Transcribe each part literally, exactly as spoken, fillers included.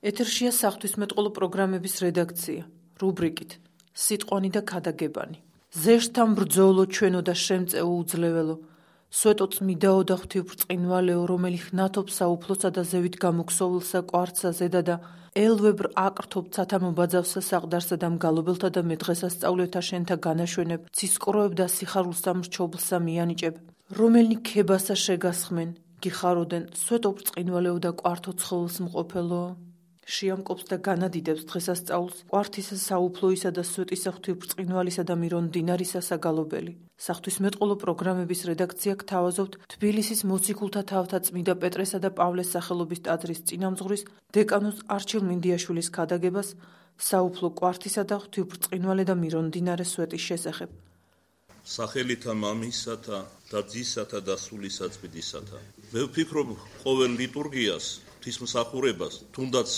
ეთერშია საღვთისმეტყველო პროგრამების რედაქცია, რუბრიკით სიტყვანი და ქადაგებანი. ზეშთან ბრძოლო ჩვენო და შემწეო უძლეველო, სვეტო წმიდაო და ღვთივბრწყინვალეო, რომელი ხნათობ საუფლოსა და ზევით გამოქსოვილსა კვარცხსა ზედა და ელვებრ აკრთობ ცათა მობაძავსა საყდარსა და მგალობელთა და მედღესასწავლეთა შენთა განაშვენებ, ცისკროებ და სიხარულსა მრჩობლსა მიანიჭებ, რომელნი ქებასა შეგასხმენ, გიხაროდენ, სვეტო ბრწყინვალეო და კვართო ცხოლს მყოფელო. შეამკობს და განადიდებს დღესასწაულს კვართისა საუფლოისა და სვეტისა ღვთივბრწყინვალისა და მირონდინარისა საგალობელი. საღვთისმეტყველო პროგრამების რედაქცია გთავაზობთ თბილისის მოციქულთა თავთა წმიდა პეტრესა და პავლეს სახელობის ტაძრის წინამძღვრის დეკანოზ არჩილ მინდიაშვილის ქადაგებას საუფლო კვართისა და ღვთივბრწყინვალე და მირონდინარე სვეტის შესახებ. სახელითა მამისათა და ძისათა და სულისა წმინდისათა. მე ვფიქრობ ყოველ ლიტურგიას, ღვთისმსახურებას, თუნდაც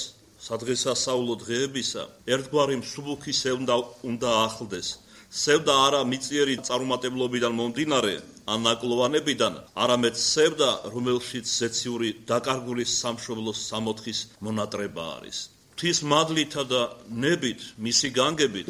სადღესასწაულო დღეებისა ერთგვარი მსუბუქი სევდა უნდა ახლდეს. სევდა არა მიწიერი წარუმატებლობიდან მომდინარე ან ნაკლოვანებიდან, არამედ სევდა, რომელშიც ზეციური დაკარგული სამშობლოს სამოთხის მონატრება არის. ღვთის მადლითა და ნებით, მისი განგებით,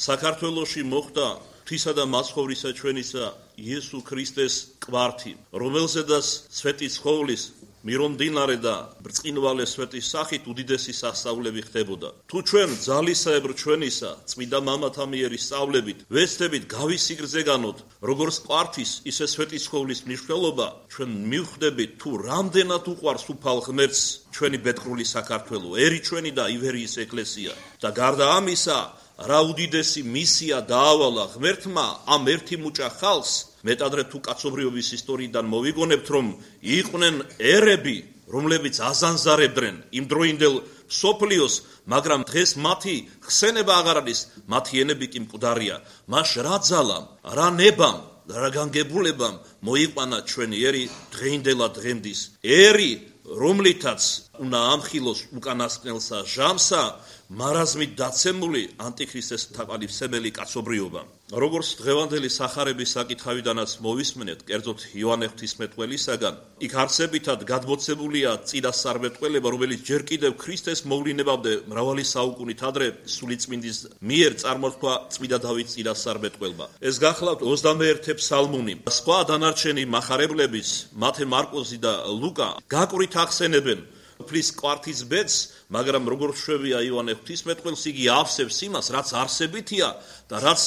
საქართველოში მოხდა ღვთისა და მაცხოვრისა ჩვენისა იესო ქრისტეს კვართი, რომელზედაც სვეტი ცხოვლის მირონდინარე და ბრწყინვალე სვეტის სახით უდიდესი სასწაულები ხდებოდა. თუ ჩვენ ძალისაებრ ჩვენისა წმინდა მამათა მიერ სწავლებით ვეცდებით გავისიგრძეგანოთ როგორც კვართის, ისე სვეტი ცხოვლის მნიშვნელობა, ჩვენ მივხვდებით თუ რამდენად უყვარს უფალ ღმერთს ჩვენი ბედღრული საქართველო, ერი ჩვენი და ივერიის ეკლესია. და გარდა ამისა, რა უდიდესი მისია დაავალა ღმერთმა ამ ერთი მუჭა ხალხს, მეტადრე თუ კაცობრიობის ისტორიიდან მოვიგონებთ, რომ იყვნენ ერები, რომლებიც აზანზარებდნენ იმდროინდელ მსოფლიოს, მაგრამ დღეს მათი ხსენება აღარ არის, მათი ენები კი მკვდარია. მას რა ძალამ, რა ნებამ, რა განგებულებამ მოიყვანა ჩვენი ერი დღეინდელად დღემდის. ერი, რომლითაც უნდა ამხილოს უკანასკნელსა ჟამსა, მარაზმით დაცემული ანტიქრისტეს თაყალიფსებელი კაცობრიობა. როგორც დღევანდელი სახარების საკითხავიდანაც მოვისმენეთ, კერძოდ იოანე ღვთისმეტყველისაგან, იქ არსებითად გადმოცემულია წინასწარმეტყველება, რომელიც ჯერ კიდევ ქრისტეს მოვლენებამდე მრავალი საუკუნით ადრე სულიწმინდის მიერ წარმოთქვა წმინდა დავითის წინასწარმეტყველება. ეს გახლავთ ოცდამეერთე ფსალმუნი. სხვა დანარჩენი მახარებლების, მათე, მარკოზი და ლუკა გაკვირით ახსენებენ უფლის კვართის ბედს, მაგრამ როგორც შვებია იოანე ღვთისმეტყველს, იგი ავსებს იმას, რაც არსებითია და რაც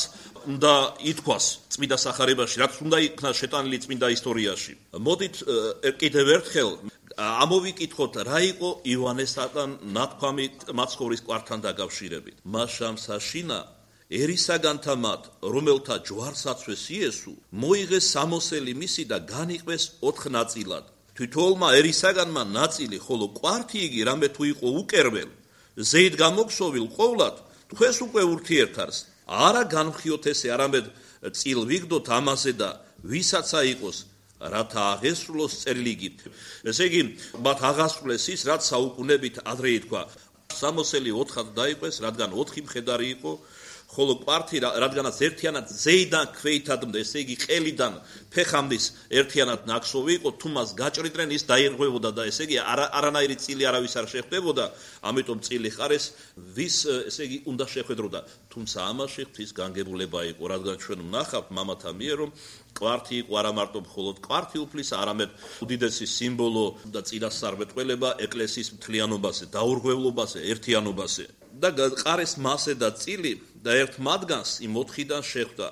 უნდა ითქვას წმინდა სახარებაში, რაც უნდა იქნა შეტანილი წმინდა ისტორიაში. მოდით კიდევ ერთხელ ამოვიკითხოთ, რა იყო იოანესთან ნათქვამი მაცხოვრის კვართთან დაკავშირებით. მას შამსაშინა ერისაგანთა მათ, რომელთა ჯვარსაცვეს იესო, მოიღეს სამოსელი მისი და განიყვეს ოთხ ნაწილად. თვითოლმა ერისაგანმა ნაწილი, ხოლო კვართი იგი რამე თუ იყო უკერველ, ზეით გამოქსოვილ ყოვლად, თქვენს უკვე ურთიერთარს. არა განვხიოთ ესე, არამედ წილ ვიგდოთ ამაზე და ვისაცა იყოს, რათა აღესრულოს წერილიგით. ესე იგი, მათ აღასრულეს ის, რაც საუკუნებით ადრე ითქვა. სამოსელი ოთხად დაიყვეს, რადგან ოთხი მხედარი იყო, ხოლო კვართი, რადგანაც ერთიანად ზეიდან ქვეითადმდე, ესე იგი ყელიდან ფეხამდის ერთიანად ნაქსოვი იყო, თუ მას გაჭრიდნენ, ის დაირღვევოდა და ესე იგი არანაირი წილი არავის არ შეხვდებოდა, ამიტომ წილი ხარეს ვის, ესე იგი, უნდა შეხვედროდა. თუმცა ამაში ღვთის განგებულება იყო, რადგან ჩვენ ვნახავთ მამათა მიერ, რომ კვართი იყო არა მარტო მხოლოდ კვართი უფლისა, არამედ უდიდესი სიმბოლო და წინასწარმეტყველება ეკლესიის მთლიანობაზე, დაურღვევლობაზე, ერთიანობაზე. და ყარეს მასე და წილი და ერთ მათგანს იმ ოთხიდან შეხვდა,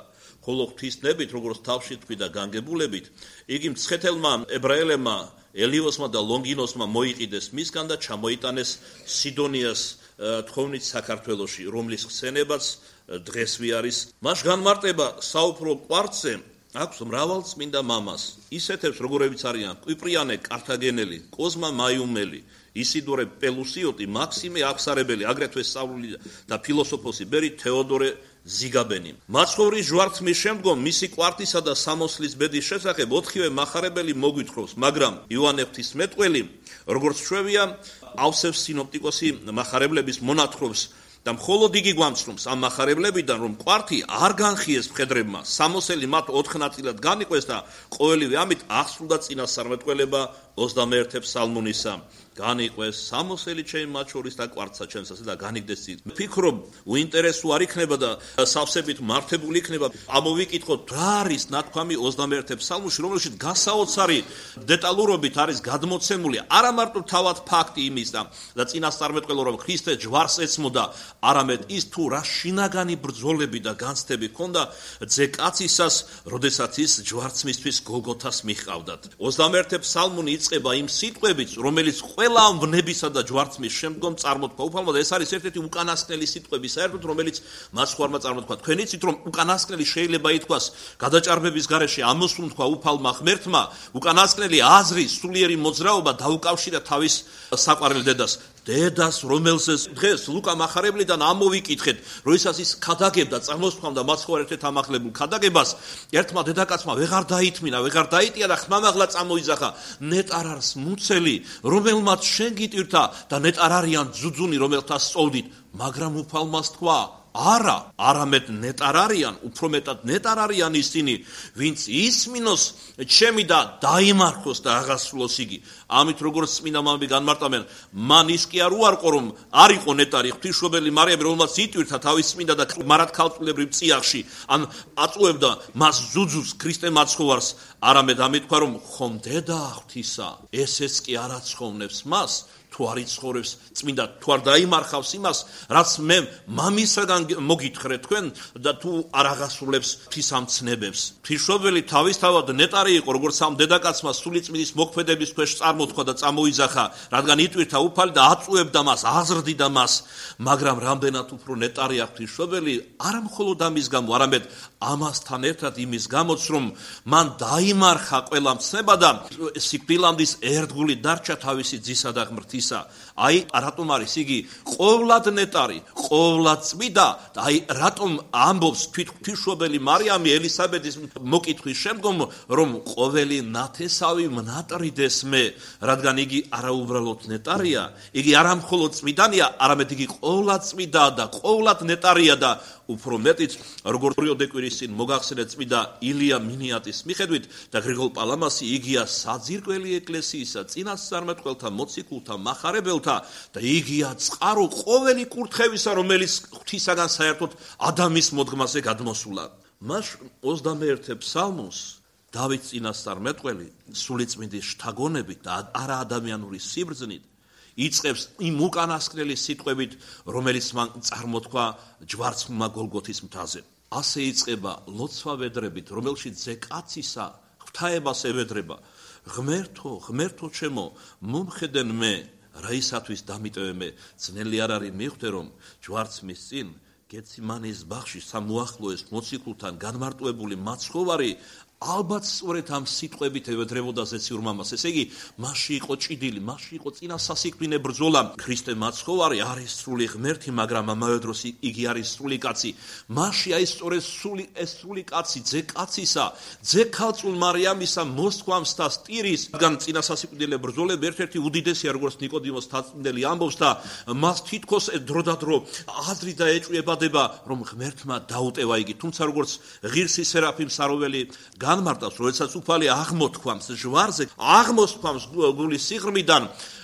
ხოლო ღვთისნებით, როგორც თავში თქვი და განგებულებით, იგი მცხეთელმა ებრაელებმა, ელიოსმა და ლონგინოსმა მოიყიდეს მისგან და ჩამოიტანეს სიდონიას თხოვნით საქართველოში, რომლის ხსენებაც დღესვე არის. მას განმარტება საუფლო კვართზე აქვს მრავალწმინდა მამას, ისეთებს, როგორებიც არიან კვიპრიანე კართაგენელი, კოზმა მაიუმელი, ისიდორე პელუსიოტი, მაქსიმე აღსარებელი, აგრეთვე სწავლული და ფილოსოფოსი ბერი თეოდორე ზიგაბენი. მაცხოვრის ჯვარცმის შემდგომ მისი კვართისა და სამოსლის ბედის შესახებ ოთხივე მახარებელი მოგვითხრობს, მაგრამ იოანე ღვთისმეტყველი, როგორც შვებია, ავსებს სინოპტიკოსი მახარებლების მონათხრობს და მხოლოდ იგი გვამცნობს ამ მახარებლებიდან, რომ კვართი არ განხიეს მხედრებმა, სამოსელი მათ ოთხ ნაწილად განიყვეს და ყოველივე ამით აღსრულდა წინასწარმეტყველება ოცდამეერთე ფსალმუნისა განიყვეს სამოსელი ჩემი მათ შორის და კვარცა ჩემს ასე და განიგდეს წით. ვფიქრობ, უინტერესო არ იქნება და სავსებით მართებული იქნება. ამოვიკითხოთ, რა არის ნათქვამი ოცდამეერთე ფსალმუნში, რომელშიც გასაოცარი დეტალურობით არის გადმოცემული არა მარტო თავად ფაქტი იმის და და წინასწარმეტყველო რომ ქრისტე ჯვარს ეცმოდა, არამედ ის თუ რა შინაგანი ბრძოლები და განცდები ჰქონდა ძე კაცისას, როდესაც ის ჯვარცმისთვის გოლგოთას მიჰყავდათ. ოცდამეერთე ფსალმუნი იწყება იმ სიტყვებით, რომელიც ყველა ვნებისა და ჯვარცმის შემდგომ წარმოთქვა უფალმა და ეს არის ერთ-ერთი უკანასკნელი სიტყვები საერთოდ რომელიც მაცხვარმა წარმოთქვა. თქვენ იცით რომ უკანასკნელი შეიძლება ითქვას გადაჭარბების გარეშე ამოსუნთქვა უფალმა ღმერთმა, უკანასკნელი აზრი სულიერი მოძრაობა დაუკავშირა თავის საყვარელ დედას. დედას რომელზეც დღეს ლუკა მახარებლიდან ამოვიკითხეთ, როდესაც ის ქადაგებდა წარმოსთქვამდა მაცხოვარ ერთ-ერთ ამახლებულ ქადაგებას, ერთმა დედაკაცმა ვეღარ დაითმინა, ვეღარ დაიტია და ხმამაღლა წამოიძახა, ნეტარ არის მუცელი, რომელმაც შენ გიტირთა და ნეტარ არიან ძუძუნი, რომელთა სწოვდით, მაგრამ უფალმას თქვა არა, არამედ ნეტარ არიან, უფრო მეტად ნეტარ არიან ისინი, ვინც ისმინოს ჩემი და დაიმარხოს და აღასრულოს იგი. ამით როგორც წმინდა მამები განმარტავენ, მან ის კი არ უარყო, რომ არ იყო ნეტარი ღვთისმშობელი მარიამი, რომელმაც იტვირთა თავის წმინდა და მარად ქალწულებრივ წიაღში, ან აწუებდა მას ზუძუს ქრისტე მაცხოვარს, არამედ ამით თქვა, რომ ხომ დედა ღვთისა, ესეც კი არ აცხოვნებს მას, თუ არ იცხოვრებს წმინდა, თუ არ დაიმარხავს იმას, რაც მე მამისაგან მოგითხრე თქვენ და თუ არ აღასრულებს ღვთისამცნებებს. ღვთისმშობელი თავისთავად ნეტარი იყო, როგორც ამ დედაკაცმა სულიწმინდის მოქმედების ქვეშ წარმოთქვა და წამოიძახა, რადგან იტვირთა უფალი და აწუებდა მას, აზრდიდა მას, მაგრამ რამდენად უფრო ნეტარია ღვთისმშობელი, არა მხოლოდ ამის გამო, არამედ ამასთან ერთად იმის გამოც, რომ მან დაიმარხა ყველა მცნება და სიკვდილამდის ერთგული დარჩა თავისი ძისა და ღმრთისა. აი რატომ არის იგი ყოვლად ნეტარი, ყოვლად წმიდა და აი რატომ ამბობს ღვთისმშობელი მარიამი ელისაბედის მოკითხვის შემდგომ, რომ ყოველი ნათესავი მნატრიდეს მე, რადგან იგი არაუბრალოდ ნეტარია, იგი არა მხოლოდ წმიდანია, არამედ იგი ყოვლად წმიდა და ყოვლად ნეტარია და უფრო მეტიც, როგორც ორი-დეკვირის წინ მოგახსენეთ წმიდა ილია მინიატის მიხედვით და გრიგოლ პალამასი იგია საძირკველი ეკლესიისა, წინასწარმეტყველთა, მოციქულთა, მახარებელთა და იგია წყარო ყოველი კურთხევისა, რომელიც ღვთისაგან საერთოდ ადამის მოდგმაზე გადმოსულა. მას ოცდამეერთე ფსალმუნს დავით წინასწარმეტყველი სულიწმინდის შთაგონებით და არა ადამიანური სიბრძნით იწყებს იმ უკანასკნელი სიტყვებით, რომელიც მან წარმოთქვა ჯვარცმმა გოლგოთის მთაზე. ასე იწყება ლოცვა ვედრებით, რომელშიც ძე კაცისა ღვთაებას ევედრება. ღმერთო, ღმერთო ჩემო, მომხედენ მე, რაისათვის დამიტევე მე, ძნელი არ არის მიხვდე, რომ ჯვარცმის წინ გეციმანის ბაღში სამუახლოეს მოციქულთან განმარტოებული მაცხოვარი ალბათ სწორედ ამ სიტყვებით ევედრებოდა ზეციურ მამას. ესე იგი, მასში იყო ჭიდილი, მასში იყო წინასასიკვდინე ბრძოლა. ქრისტე მაცხოვარი არის სრული ღმერთი, მაგრამ ამავე დროს იგი არის სრული კაცი. მასში აი სწორედ სრული ეს სრული კაცი, ძე კაცისა, ძე ქალწულ მარიამისა მოსთქვამს და სტირის, რადგან წინასასიკვდინე ბრძოლები ერთ-ერთი უდიდესია, როგორც ნიკოდიმოს თაცმდელი ამბობს და მას თითქოს დროდადრო აზრი და ეჭვებადება, რომ ღმერთმა დაუტევა იგი. თუმცა როგორც ღირსი სერაფიმ საროველი განმარტავს, როდესაც უფალი აღმოთქვამს ჟვარზე, აღმოსთქვამს გულის სიღრმიდან,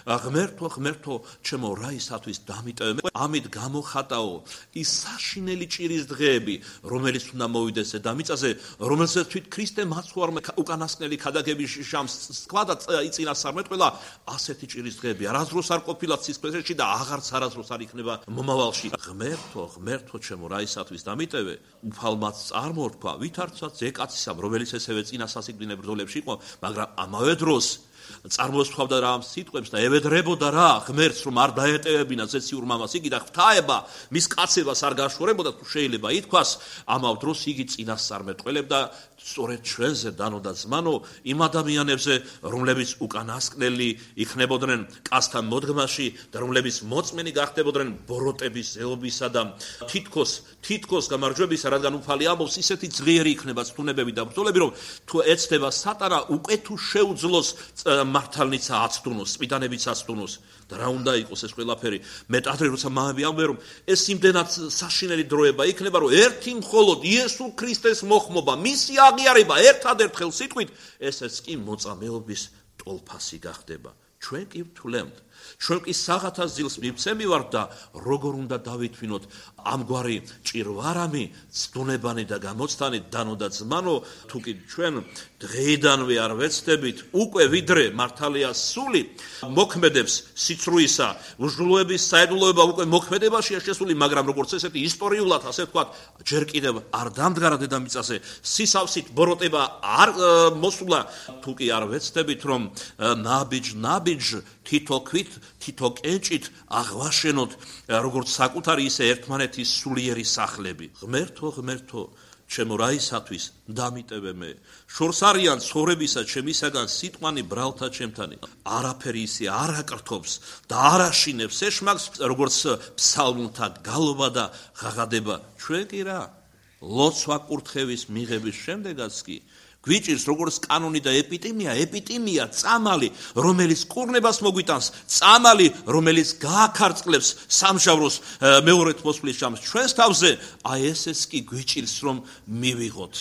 ღმერთო, ღმერთო, ჩემო რაისათვის დამიტევე მე, ამით გამოხატაო ის საშინელი ჭირის დღეები, რომელიც უნდა მოვიდეს დედამიწაზე, რომელსაც თვით ქრისტე მაცხოვარმა უკანასკნელი ქადაგების შამს თქვა და წინასწარმეტყველა, ასეთი ჭირის დღეები არასდროს არ ყოფილა სისხლში და აღარც არასდროს არ იქნება მომავალში. ღმერთო, ღმერთო, ჩემო რაისათვის დამიტევე, უფალმაც წარმოთქვა, ვითარცაც ძე კაცისამ, რომელიც ესევე წინასასიკვდინე ბრძოლებში იყო, მაგრამ ამავე დროს წარმოსთქვამდა რა ამ სიტყვებს და ევედრებოდა რა ღმერთს, რომ არ დაეტევებინა ზეციურ მამას იგი და ღვთაება მის კაცებას არ გაშორებოდა, თუ შეიძლება ითქვას, ამავ დროს იგი წინასწარმეტყველებდა სწორედ ჩვენზე დანო და ზმანო იმ ადამიანებზე, რომლებიც უკანასკნელი იქნებოდნენ კაცთან მოდგმაში და რომლებიც მოწმენი გახდებოდნენ ბოროტების ზეობისა და თითქოს თითქოს გამარჯვებისა, რადგან უფალი ამბობს, ისეთი ძლიერი იქნება ცდუნებები და ბრძოლები, რომ თუ ეცდება სატანა, უკვე თუ შეუძლოს მართალნიცა აცდუნოს, წმიდანებიც აცდუნოს და რა უნდა იყოს ეს ყველაფერი. მეტ ადრე როცა მამები ამბობენ, რომ ეს იმდენად საშინელი დროება იქნება, რომ ერთი მხოლოდ იესო ქრისტეს მოხმობა, მისი აღიარება ერთადერთ ხელსიტყვით, ესეც კი მოწამეობის ტოლფასი გახდება. ჩვენ კი ვთვლემთ, ჩვენ კი საღათას ძილს მივცემივართ და როგორ უნდა დავითვინოთ ამგვარი ჭირვარამი, ცდუნებანი და გამოცდანი დანო და ძმანო, თუ კი ჩვენ დღეიდანვე არ ვეცდებით, უკვე ვიდრე მართალია სული მოქმედებს სიცრუისა, უჟლოების საიდუმლოება უკვე მოქმედებაშია შესული, მაგრამ როგორც ესეთი ისტორიულად, ასე ვთქვათ, ჯერ კიდევ არ დამდგარა დედამიწაზე, სისავსით ბოროტება არ მოსულა, თუ კი არ ვეცდებით, რომ ნაბიჯ ნაბიჯ თითო ქვით, თითო კენჭით აღვაშენოთ როგორც საკუთარი, ისე ერთმანეთის სულიერი სახლები. ღმერთო, ღმერთო, ჩემო რაისათვის დამიტევე მე. შორს არიან ცხოვრებისა ჩემისაგან სიტყვანი ბრალთა ჩემთანი. არაფერი ისე არ აკრთობს და არ აშინებს ეშმაკს, როგორც ფსალმუნთა გალობა და ღაღადება. ჩვენ კი რა? ლოცვა კურთხევის მიღების შემდეგაც კი გვიჭირს როგორც კანონი და ეპიტიმია, ეპიტიმია, წამალი, რომელიც კურნებას მოგვიტანს, წამალი, რომელიც გააქარწყლებს სამჟავროს მეორეთ მოსვლის ჟამს ჩვენს თავზე, აი ესეც კი გვიჭირს, რომ მივიღოთ.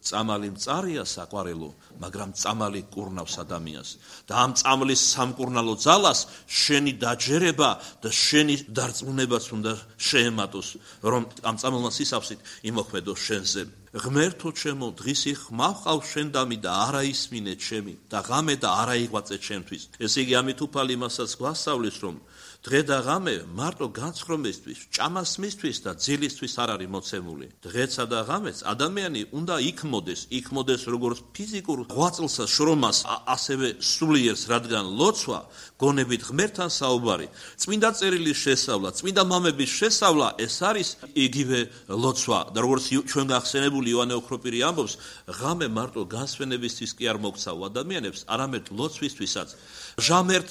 წამალი მწარია საყვარელო, მაგრამ წამალი კურნავს ადამიანს და ამ წამლის სამკურნალო ძალას შენი დაჯერება და შენი დარწმუნებაც უნდა შეემატოს, რომ ამ წამალმა სისავსით იმოქმედოს შენზე. ღმერთო ჩემო, დღის ხმავყავ შენ დამი და არა ისმინე ჩემი და ღამე და არა იღვაწე ჩემთვის. ესე იგი ამით უფალი იმასაც გვასწავლის, რომ დღე და ღამე მარტო განცხრომისთვის, ჭამასმისთვის და ძილისთვის არ არის მოცემული. დღეცა და ღამეც ადამიანი უნდა იქმოდეს, იქმოდეს როგორც ფიზიკურ ღვაწლსა, შრომას, ასევე სულიერს, რადგან ლოცვა, გონებით ღმერთთან საუბარი, წმინდა წერილის შესწავლა, წმინდა მამების შესწავლა, ეს არის იგივე ლოცვა. და როგორც ჩვენ გახსენებული იოანე ოქროპირი ამბობს, ღამე მარტო განსვენებისთვის კი არ მოგცავ ადამიანებს, არამედ ლოცვისთვისაც. ჟამერთ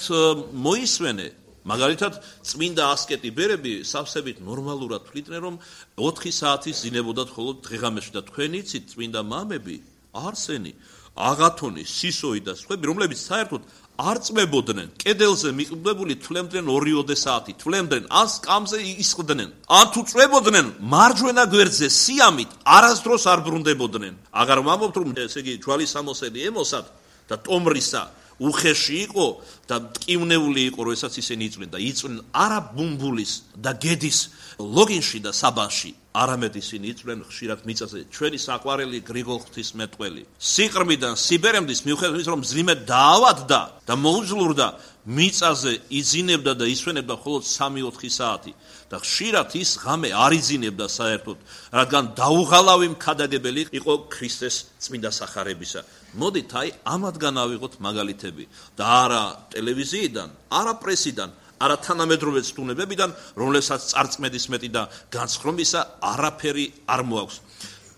მოისვენე. მაგალითად, წმინდა ასკეტი ბერები სავსებით ნორმალურად თვლიდნენ, რომ ოთხი საათის ზინებოდათ მხოლოდ დღეღამეში და თქვენ იცით, წმინდა მამები, არსენი, აღათონი, სისოი და სხვები, რომლებიც საერთოდ არ წმებოდნენ, კედელზე მიყრდებული თვლემდნენ ორიოდე საათი, თვლემდნენ ან სკამზე ისხდნენ. ან თუ წმებოდნენ, მარჯვენა გვერდზე სიამით არასდროს არ ბრუნდებოდნენ. აღარ ვამბობთ, რომ ესე იგი ჯვალის სამოსელი ემოსად და ტომრისა უხეში იყო და მტკივნეული იყო, როდესაც ისინი იწვნენ და იწვნენ არა ბუმბულის და გედის ლოგინში და საბანში, არამედ ისინი იწვნენ ხშირად მიწაზე ჩვენი საყვარელი გრიგოლ ღვთისმეტყველი. სიყრმიდან სიბერემდის მიუხედავად იმისა, რომ მძიმე დაავადდა და მოუძლურდა, მიწაზე იძინებდა და ისვენებდა მხოლოდ სამი ოთხი საათი და ხშირად ის ღამე არ იძინებდა საერთოდ, რადგან დაუღალავი მქადაგებელი იყო ქრისტეს წმინდა სახარებისა. მოდით აი ამათგან ავიღოთ მაგალითები და არა ტელევიზიიდან, არა პრესიდან, არა თანამედროვე ცდუნებებიდან, რომლებსაც წარწმედის მეტი და განსხრომისა არაფერი არ მოაქვს.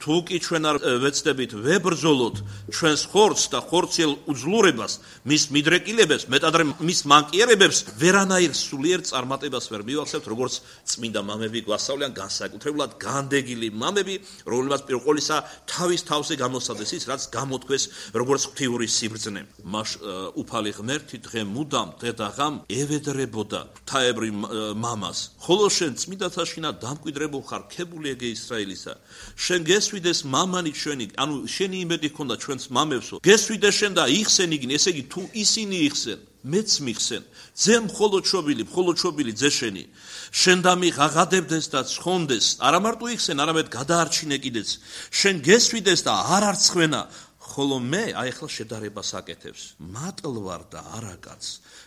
თუ კი ჩვენ არ ვეცდებით ვებრძოლოთ ჩვენს ხორცს და ხორციელ უძლურებას, მის მიდრეკილებებს, მეტადრე მის მანკიერებებს, ვერანაირ სულიერ წარმატებას ვერ მივახსენებთ, როგორც წმინდა მამები გვასწავლიან, განსაკუთრებულად განდეგილი მამები, რომლებმაც პირველ ყოვლისა თავის თავზე გამოსცადეს ის, რაც გამოთქვეს როგორც ღვთიური სიბრძნე. მას უფალი ღმერთი დღე მუდამ დღე და ღამ ევედრებოდა ღვთაებრივ მამას. ხოლო შენ წმინდათა შინად დამკვიდრებულ ხარ, ქებული ეგე ისრაელისა. შენ გესვიდეს მამანი ჩვენი, ანუ შენი იმედი ჰქონდა ჩვენს მამებსო. გესვიდეს შენ და იხსენ იგინი, ესე იგი თუ ისინი იხსენ, მეც მიხსენ. ძე მხოლოდ შობილი, მხოლოდ შობილი ძე შენი. შენ დამიღაღადებდეს და ცხონდეს, არა მარტო იხსენ, არამედ გადაარჩინე კიდეც. შენ გესვიდეს და არ არცხვენა, ხოლო მე აი ახლა შედარებას აკეთებს. მატლ ვარ და არა კაც.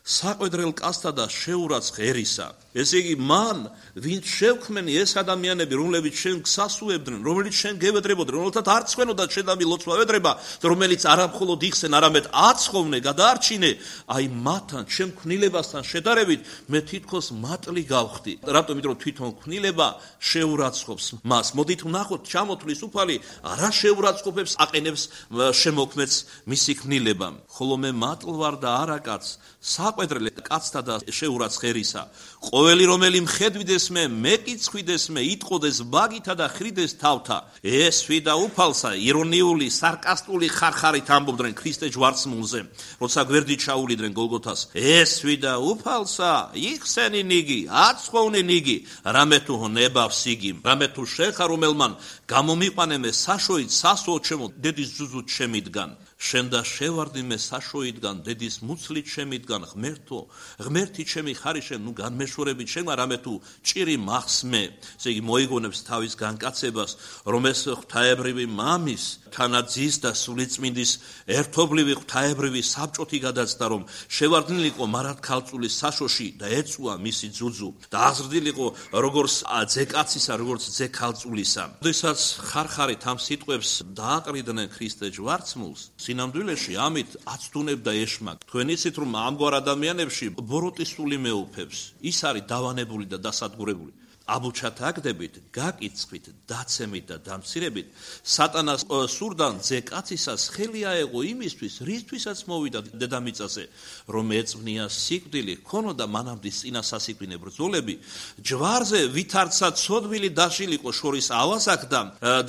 საყვედრელ კაცთა და შეურაც ღერისა. ესე იგი მან, ვინც შევქმენი ეს ადამიანები, რომლებიც შენ გსასუებდნენ, რომელიც შენ გევედრებოდნენ, რომელთაც არ ცხვენოდა შენ და მილოცვა ვედრება, რომელიც არა მხოლოდ იხსენ, არამედ აცხოვნე, გადაარჩინე, აი მათთან, შენ ქმნილებასთან შედარებით, მე თითქოს მატლი გავხდი. რატომ? იმიტომ რომ თვითონ ქმნილება შეურაცხყოფს მას. მოდით ვნახოთ, ჩამოთვლის უფალი რა შეურაცხყოფებს აყენებს შემოქმედს მისი ქმნილებამ. ხოლო მე მატლ ვარ და არა კაც, საყვედრელ კაცთა და შეურაცხერისა. ყოველი რომელი მხედვიდეს მე, მეკიცხვიდეს მე, იტყოდეს ბაგითა და ხრიდეს თავთა. ეს ვიდა უფალსა, ირონიული, სარკასტული ხარხარით ამბობდნენ ქრისტე ჯვარცმულზე, როცა გვერდით ჩაუვლიდნენ გოლგოთას. ეს ვიდა უფალსა, იხსენი ნიგი, აცხოვნი ნიგი, რამე თუ ნებავს იგი, რამე თუ შეხა რომელმან გამომიყვანე მე საშოით სასოო ჩემო დედის ზუზუთ შემიდგან. შენ და შევარდი მე საშოიდგან დედის მუცლით შემიდგან ღმერთო ღმერთი ჩემი ხარი შენ ნუ განმეშორებით შენ რამე თუ ჭირი მახსმე ესე იგი მოიგონებს თავის განკაცებას რომ ეს ღვთაებრივი მამის თანაძის და სულიწმინდის ერთობლივი ღვთაებრივი საბჭოთი გადაცდა რომ შევარდნილიყო მარად ქალწულის საშოში და ეწუა მისი ძუძუ და აღზრდილიყო როგორც ძეკაცისა როგორც ძე ქალწულისა როდესაც ხარხარით ამ სიტყვებს დააყრიდნენ ქრისტე ჯვარცმულს სინამდვილეში ამით აცდუნებდა ეშმაკ თქვენ იცით რომ ამგვარ ადამიანებში ბოროტის სული მეუფებს ის არის დავანებული და დასადგურებული აბუჩათ აგდებით გაკიცხვით დაცემით და დამცირებით სატანას სურდან ძეკაცისას ხელი აეღო იმისთვის რისთვისაც მოვიდა დედამიწაზე რომ ეწვნია სიკვდილი ქონოდა მანამდე წინა სასიკვდინე ბრძოლები ჯვარზე ვითარცა ცოდვილი დაშილიყო შორის ავასაკდა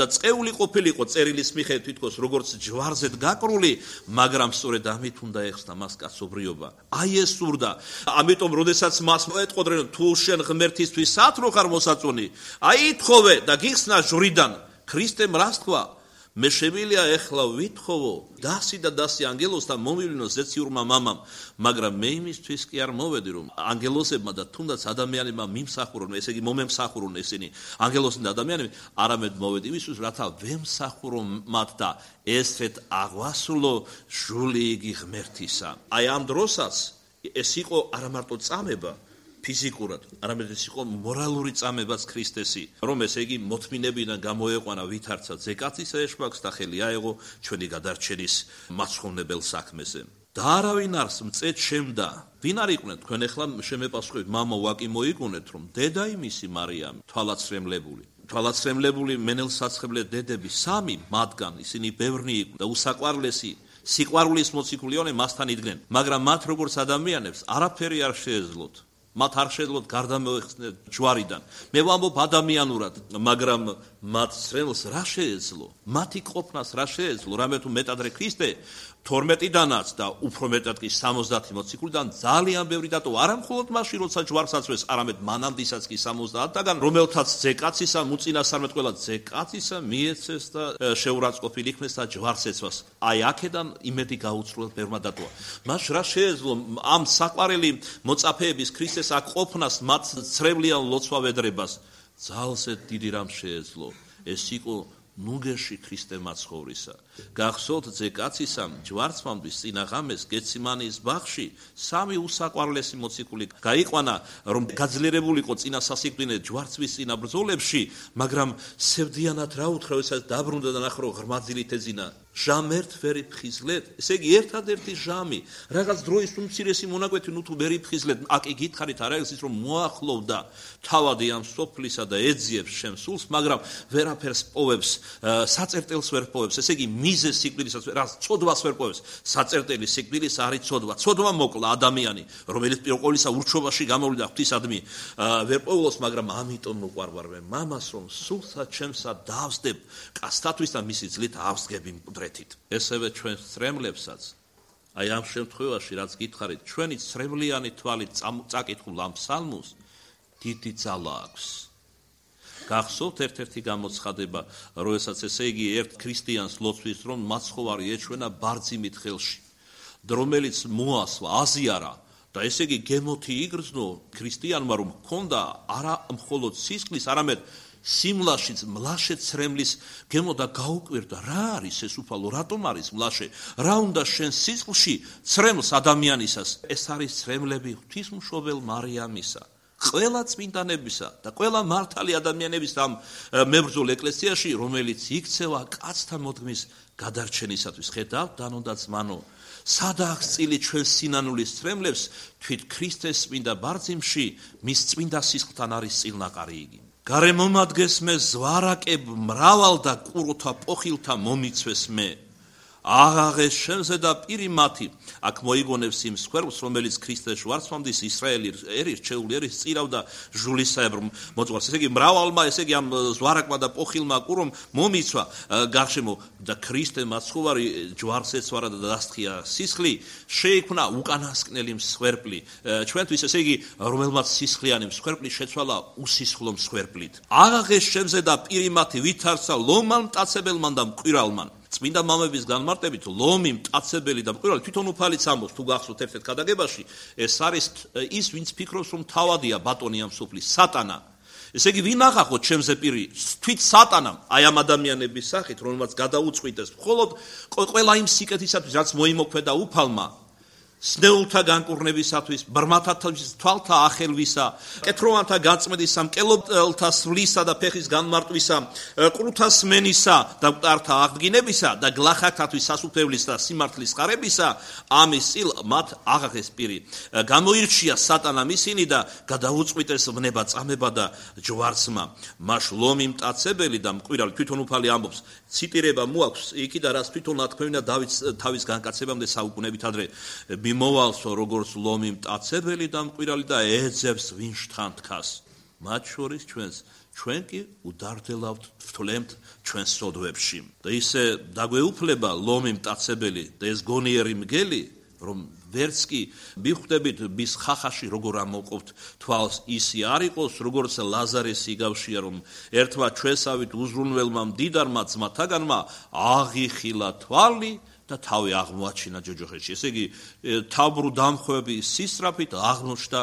და წეული ყოფილიყო წერილის მიხედვით თითქოს როგორც ჯვარზედ გაკრული მაგრამ სწორედ ამით უნდა ეხსნა მას კაცობრიობა აი ეს სურდა ამიტომ როდესაც მას მოეტყოდნენ თუ შენ ღმერთისთვის სათნო ხარ მოსაწონი აი ითხოვე და გიხსნა ჟვრიდან ქრისტემ რას თქვა მე შემილია ეხლა ვითხოვო დასი და დასი ანგელოს და მომივლინო ზეციურმა მამამ მაგრამ მე იმისთვის კი არ მოვედი რომ ანგელოსებმა და თუნდაც ადამიანებმა მიმსახურონ ესე იგი მომემსახურონ ესენი ანგელოსი და ადამიანები არამედ მოვედი იმისთვის რათა ვემსახურო მათ და ესეთ აღვასრულო ჟული იგი ღმერთისა აი ამ დროსაც ეს იყო არა მარტო წამება ფიზიკურად, არამედ ეს იყო მორალური წამებაც ქრისტესი, რომ ესე იგი მოთმინებიდან გამოეყვანა ვითარცა ძეკაცისა ეშმაკს და ხელი აეღო ჩვენი გადარჩენის მაცხოვნებელ საქმეზე. და არავინ არს მწეთ შემდა. ვინ არ იყვნენ თქვენ ახლა შემეპასუხეთ მამა ვაკი მოიგონეთ რომ დედა იმისი მარიამი თვალაცრემლებული. თვალაცრემლებული მენელსაცხებლე დედები სამი მათგან ისინი ბევრნი იყვნენ და უსაყვარლესი სიყვარულის მოციქულიონე მასთან იდგნენ, მაგრამ მათ როგორც ადამიანებს არაფერი არ შეეძლოთ. მათ არ შეძლოთ გარდა მოეხსნათ ჯვარიდან. მე ვამბობ ადამიანურად, მაგრამ მათ სრელს რა შეეძლო? მათი ყოფნას რა შეეძლო? რამე თუ მეტადრე ქრისტე თორმეტიდანაც და უფრო მეტად კი სამოცდათი მოციქულიდან ძალიან ბევრი დატო არა მხოლოდ მაშინ როცა ჯვარს აწვეს, არამედ მანამდისაც კი სამოცდაათიდან, რომელთაც ძეკაცისა მუწინასწარმეტ ყველა ძეკაცისა მიეცეს და შეურაცხყოფილ იქნეს და ჯვარს ეცვას. აი აქედან იმედი გაუცრუებლად ბევრმა დატოვა. მას რა შეეძლო ამ საყვარელი მოწაფეების ქრისტეს აქ ყოფნას მათ ცრევლიან ლოცვავედრებას? ძალზე დიდი რამ შეეძლო. ეს იყო ნუგეში ქრისტე მაცხოვრისა. გახსოვთ ძეკაცისამ ჯვარცმამდის წინა ღამეს გეციმანის ბაღში სამი უსაყვარლესი მოციქული გაიყვანა, რომ გაძლიერებულიყო წინა სასიკვდინე ჯვარცმის წინა ბრძოლებში, მაგრამ სევდიანად რა უთხრა, ესაც დაბრუნდა და ნახრო ღრმაძილით ეძინა. ჟამერთ ვერი ფხიზლეთ, ესე იგი ერთადერთი ჟამი, რაღაც დროის უმცირესი მონაკვეთი ნუ თუ ვერი ფხიზლეთ, აკი გითხარით არა ის რომ მოახლოვდა თავადი ამ სოფლისა და ეძიებს შენ სულს, მაგრამ ვერაფერს პოვებს, საწერტელს ვერ პოვებს, ესე იგი მიზეს სიკვდილისაც რა ცოდვას ვერ პოვებს, საწერტელი სიკვდილის არის ცოდვა. ცოდვა მოკლა ადამიანი, რომელიც პირველ ყოვლისა ურჩობაში გამოვლიდა ღვთისადმი, ვერ პოულობს, მაგრამ ამიტომ უყვარვარ მე მამას რომ სულსა ჩემსა დავსდებ კაცთათვის და მისი ძლით ავსგები მკვდრეთით. ესევე ჩვენ სრემლებსაც აი ამ შემთხვევაში რაც გითხარით, ჩვენი სრემლიანი თვალით წაკითხულ ამ ფსალმოს დიდი ძალა აქვს. გახსოვთ ერთ-ერთი გამოცხადება, როდესაც ესე იგი ერთ ქრისტიანს ლოცვის რომ მაცხოვარი ეჩვენა ბარძიმით ხელში, რომელიც მოასვა, აზიარა და ესე იგი გემოთი იგრძნო ქრისტიანმა რომ ჰქონდა არა მხოლოდ სისხლის, არამედ სიმლაშიც მლაშე ცრემლის გემო და გაუკვირდა რა არის ეს უფალო, რატომ არის მლაშე, რა უნდა შენ სისხლში ცრემლს ადამიანისას? ეს არის ცრემლები ღვთისმშობელ მარიამისა, ყველა წმინდანებისა და ყველა მართალი ადამიანების ამ მებრძოლ ეკლესიაში, რომელიც იქცევა კაცთა მოდგმის გადარჩენისათვის. ხედავთ დანო და ძმანო, სადაა წილი ჩვენ სინანულის ცრემლებს, თვით ქრისტეს წმინდა ბარძიმში მის წმინდა სისხლთან არის წილნაყარი იგი. გარემომადგეს მე ზვარაკებ მრავალ და ყუროთა პოხილთა მომიცვეს მე. აღაღეს შენზე და პირი მათი, აქ მოიგონებს იმ სკვერპს, რომელიც ქრისტეს ვარცმამდის ისრაელი ერის ჩეული ერის წირავდა ჟულისაებრ მოწყვას. ესე იგი მრავალმა, ესე იგი ამ ზვარაკმა და პოხილმა ყურომ მომიცვა გარშემო და ქრისტე მაცხოვარი ჯვარს ეცვარა და დასთხია სისხლი, შეიქმნა უკანასკნელი მსხვერპლი. ჩვენთვის ესე იგი რომელმაც სისხლიანი მსხვერპლი შეცვალა უსისხლო მსხვერპლით. აღაღეს შენზე და პირი მათი ვითარცა ლომან მტაცებელმან და მკვირალმან. წმინდა მამების განმარტებით ლომი, მტაცებელი და მკვირვალი თვითონ უფალიც ამბობს თუ გახსოვთ ერთ-ერთ გადაგებაში, ეს არის ის, ვინც ფიქრობს, რომ თავადია ბატონი ამ სოფლის, სატანა. ესე იგი, ვინ აღახოთ ჩემზე პირი? თვით სატანამ, აი ამ ადამიანების სახით, რომელმაც გადაუწყვიტეს, მხოლოდ ყველა იმ სიკეთისათვის, რაც მოიმოქმედა უფალმა, სნეულთა განკურნებისათვის, ბრმათათვის თვალთა ახელვისა, კეთროვანთა გაწმედისა, მკელობელთა სვლისა და ფეხის განმარტვისა, ყრუთა სმენისა და მკვდართა აღდგინებისა და გლახაკთათვის სასუფევლის და სიმართლის ხარებისა, ამის წილ მათ აღახეს პირი. გამოირჩია სატანამ ისინი და გადაუწყვიტეს ვნება წამება და ჯვარცმა. მას ლომი მტაცებელი და მკვირვალი თვითონ უფალი ამბობს, ციტირება მოაქვს იქიდან, რაც თვითონ ათქვევინა დავითს თავის განკაცებამდე საუკუნეებით ადრე. მიმოვალსო როგორც ლომი მტაცებელი და მკვირვალი და ეძებს ვინ შთანთქას. მათ შორის ჩვენს, ჩვენ კი უდარდელავთ ვთვლემთ ჩვენს სოდვებში. და ისე დაგვეუფლება ლომი მტაცებელი და ეს გონიერი მგელი, რომ ვერც კი მიხვდებით მის ხახაში როგორ ამოყოფთ თვალს, ისი არ იყოს, როგორც ლაზარეს იგავშია, რომ ერთმა ჩვენსავით უზრუნველმა მდიდარმა ძმათაგანმა აღიხილა თვალი და თავი აღმოაჩინა ჯოჯოხეთში. ესე იგი, თავბრუ დამხვევების სისწრაფით აღმოჩნდა,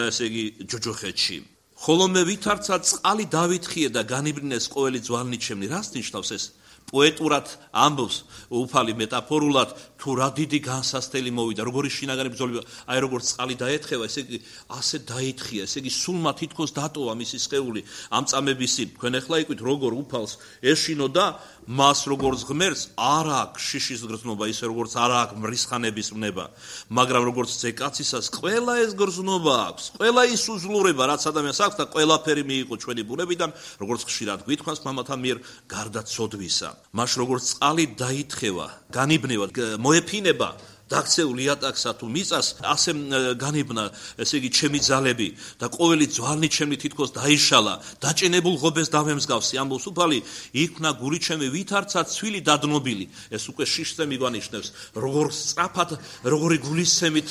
ესე იგი, ჯოჯოხეთში. ხოლო მე ვითარცა წყალი დავითხიე და განიბრინეს ყოველი ძვალნიჩემნი. რას ნიშნავს ეს? პოეტურად ამბობს უფალი მეტაფორულად, თუ რა დიდი განსასწრელი მოვიდა, როგორი შინაგანი ბრძოლა, აი როგორც წყალი დაეთხევა, ესე იგი, ასე დაითხია, ესე იგი, სულმა თითქოს დატოვა მისი სხეული ამ წამების წინ. თქვენ ახლა იყვით, როგორ უფალს ეშინო და მას როგორც ღმერთს არ აქვს შიშის გრძნობა, ისე როგორც არ აქვს მრისხანების ვნება, მაგრამ როგორც ზეკაცისას ყველა ეს გრძნობა აქვს, ყველა ის უძლურება, რაც ადამიანს აქვს და ყველაფერი მიიღო ჩვენი ბუნებიდან, როგორც ხშირად გვითქვამს მამათა მიერ გარდა ცოდვისა. მას როგორც წყალი დაითხევა, განიბნევა, მოეფინება დაქცეულ იატაკსა თუ მიწას, ასე განიბნა, ესე იგი, ჩემი ძალები და ყოველი ძვალნი ჩემი თითქოს დაიშალა, დაჭენებულ ღობეს დავემსგავსი, ამბობს უფალი, იქნა გული ჩემი ვითარცა ცვილი დადნობილი. ეს უკვე შიშზე მიგვანიშნებს, როგორ სწრაფად, როგორი გულისცემით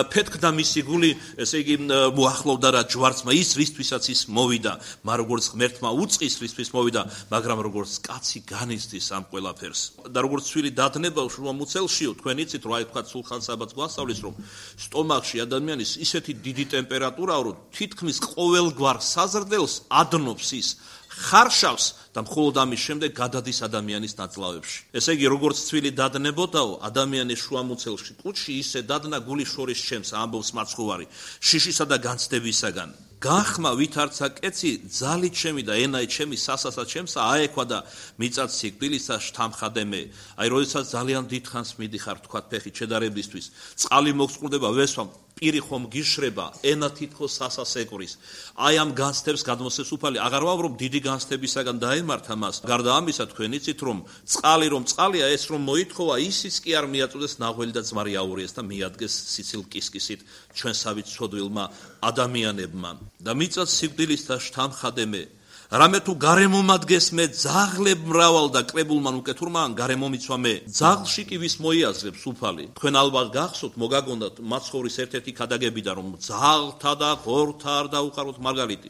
ფეთქდა მისი გული, ესე იგი, მოახლოვდა რა ჯვარცმა ის, რისთვისაც ის მოვიდა, მაგრამ როგორც ღმერთმა უწყის, რისთვის მოვიდა, მაგრამ როგორც კაცი განიცდის ამ ყველაფერს. და როგორც ცვილი დადნება შუა მუცელშიო, თქვენ იცით, რა ითქვა სულხან საბათს გვასწავლის, რომ სტომახში ადამიანის ისეთი დიდი ტემპერატურაა, რომ თითქმის ყოველგვარ საზრდელს ადნობს ის, ხარშავს და მხოლოდ ამის შემდეგ გადადის ადამიანის ნაწლავებში. ესე იგი, როგორც ცვილი დადნებოდაო, ადამიანის შუამუცელში კუჭში ისე დადნა გული შორის ჩემს, ამბობს მაცხოვარი, შიშისა და განცდებისაგან. გახმა ვითარცა კეცი, ძალით ჩემი და ენაით ჩემი სასასაც ჩემსა აექვა და მიწაც სიკვდილისა შთამხადე მე. აი, როდესაც ძალიან დიდხანს მიდიხარ, თქვათ ფეხით შედარებისთვის, წყალი მოგწყურდება, ვესვამ, პირი ხომ გიშრება, ენა თითქოს სასას ეკვრის. აი ამ განცდებს გადმოსცემს უფალი, აღარ ვამბობ დიდი განცდებისაგან დაემართა მას. გარდა ამისა, თქვენ იცით, რომ წყალი რომ წყალია, ეს რომ მოითხოვა, ისიც კი არ მიაწოდეს ნაღველი და ძმარი აურიეს და მიადგეს სიცილ კისკისით ჩვენსავით ცოდვილმა ადამიანებმა. და მიწაც სიკვდილისა შთამხადე მე. რამე თუ გარემომადგეს მე ძაღლებ მრავალ და კრებულმან უკეთურმა გარემო მიცვა მე. ძაღლში კი ვის მოიაზრებს უფალი. თქვენ ალბათ გახსოვთ, მოგაგონდათ მაცხოვრის ერთ-ერთი ქადაგებიდან, რომ ძაღლთა და ღორთა არ დაუყაროთ მარგალიტი.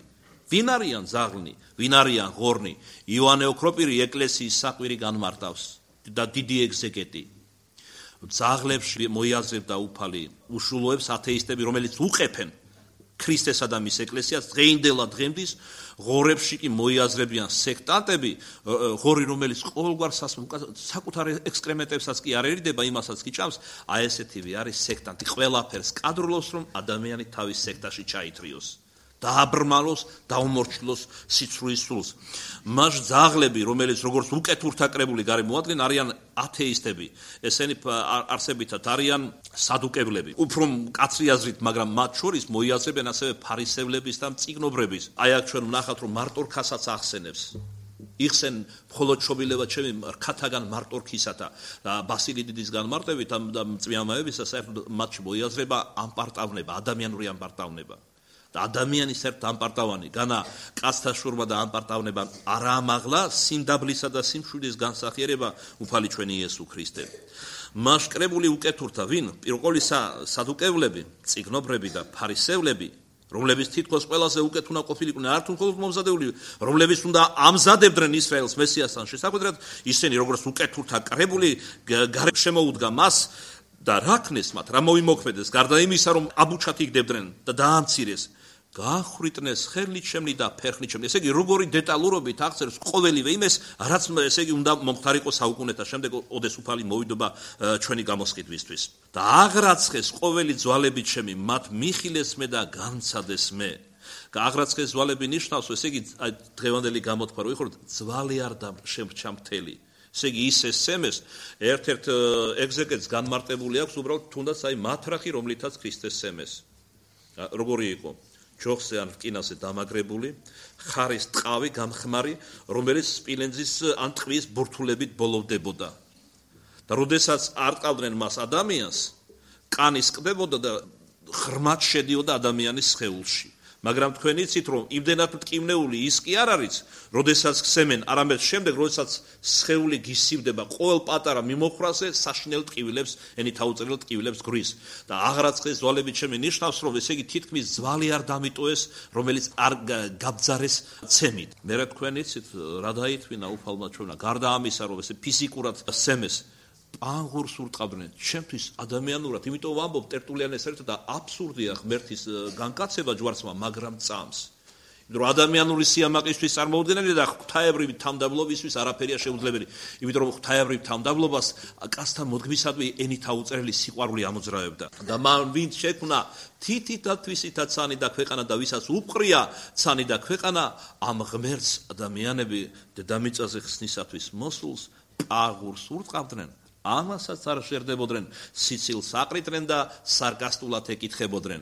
ვინ არიან ძაღლნი, ვინ არიან ღორნი? იოანე ოქროპირი ეკლესიის საყვირი განმარტავს და დიდი ეგზეგეტი. ძაღლებში მოიაზრებდა უფალი უშულოებს ათეისტები, რომელიც უყეფენ ქრისტესა და მის ეკლესიას დღეინდელა დღემდის, ღორებში კი მოიაზრებიან სექტანტები, ღორი რომელიც ყოველგვარ საკუთარ ექსკრემენტებსაც კი არ ერიდება, იმასაც კი ჭამს, აი ესეთივე არის სექტანტი, ყველაფერს კადრულობს, რომ ადამიანი თავის სექტაში ჩაითრიოს. დააბრმალოს, დაუმორჩილოს სიცრუის სულს. მას ძაღლები, რომელიც როგორც უკეთურთა კრებული გარემოადგენენ, არიან ათეისტები. ესენი არსებითად არიან სადუკებლები. უფრო მკაცრი აზრით, მაგრამ მათ შორის მოიაზრებენ ასევე ფარისევლების და მწიგნობრების. აი აქ ჩვენ ვნახავთ, რომ მარტორქასაც ახსენებს. იხსენ მხოლოდ შობილება ჩემი რქათაგან მარტორქისათა და ბასილი დიდის განმარტებით და წვიამაებისა საერთოდ მათში მოიაზრება ამპარტავნება, ადამიანური ამპარტავნება. და ადამიანის ერთ ამპარტავანი, განა კაცთა შურმა და ამპარტავნება არა ამაღლა, სიმდაბლისა და სიმშვიდის განსახიერება უფალი ჩვენი იესო ქრისტე. მას კრებული უკეთურთა ვინ? პირველ ყოვლისა სადუკევლები, წიგნობრები და ფარისევლები, რომლებიც თითქოს ყველაზე უკეთ უნდა ყოფილიყვნენ, არ თუ მხოლოდ მომზადებული, რომლებიც უნდა ამზადებდნენ ისრაელს მესიასთან შესაკვეთრად, ისინი როგორც უკეთურთა კრებული გარეთ შემოუდგა მას და რა ქნეს მათ, რა მოიმოქმედეს, გარდა იმისა, რომ აბუჩად იგდებდნენ და დაამცირეს. გაახრიტნეს ხელნით შემნი და ფერხნით შემნი. ესე იგი, როგორი დეტალურობით აღწერს ყოველივე იმას, რაც ესე იგი უნდა მომხდარიყო საუკუნეთა შემდეგ ოდეს უფალი მოვიდობა ჩვენი გამოსყიდვისთვის. და აღრაცხეს ყოველი ძვალებით შემი, მათ მიხილეს მე და განცადეს მე. აღრაცხეს ძვალები ნიშნავს, ესე იგი, დღევანდელი გამოთქვა, რომ იხოთ ძვალი არ შემრჩა მთელი. ესე იგი, ის ესემეს ერთ-ერთ ეგზეგეტს განმარტებული აქვს უბრალოდ თუნდაც აი მათრახი, რომლითაც ქრისტეს სემეს. როგორი იყო? ჯოხზე ან რკინაზე დამაგრებული, ხარის ტყავი გამხმარი, რომელიც სპილენძის ან ტყვის ბურთულებით ბოლოვდებოდა. და როდესაც არ ტყავდნენ მას ადამიანს, კანის ყდებოდა და ღრმად შედიოდა ადამიანის სხეულში. მაგრამ თქვენ იცით, რომ იმდენად მტკივნეული ის კი არ არის, როდესაც ხსემენ, არამედ შემდეგ, როდესაც სხეული გისივდება ყოველ პატარა მიმოხრაზე, საშინელ ტკივილებს, ენით აუწერელ ტკივილებს გვრის. და აღრაცხეს ძვალებით შემი ნიშნავს, რომ ესე იგი თითქმის ძვალი არ დამიტოეს, რომელიც არ გაბძარეს ცემით. მერე თქვენ იცით, რა დაითვინა უფალმა ჩვენმა, გარდა ამისა, რომ ესე ფიზიკურად სემეს, პანგურს ურტყავდნენ, ჩემთვის ადამიანურად, იმიტომ ვამბობ ტერტულიანეს ერთად და აბსურდია ღმერთის განკაცება ჯვარცმა, მაგრამ წამს. იმიტომ რომ ადამიანური სიამაყისთვის წარმოუდგენელი და ღვთაებრივი თავმდაბლობისთვის არაფერია შეუძლებელი. იმიტომ რომ ღვთაებრივ თავმდაბლობას კაცთან მოდგმისადმი ენით აუწერელი სიყვარული ამოძრავებდა. და მან ვინც შექმნა თითით და თვისითაც ცანი და ქვეყანა და ვისაც უყრია ცანი და ქვეყანა, ამ ღმერთს ადამიანები დედამიწაზე ხსნისათვის მოსულს პაღურს ურტყავდნენ. ამასაც არ შერდებოდნენ, სიცილს აყრიდნენ და სარკასტულად ეკითხებოდნენ.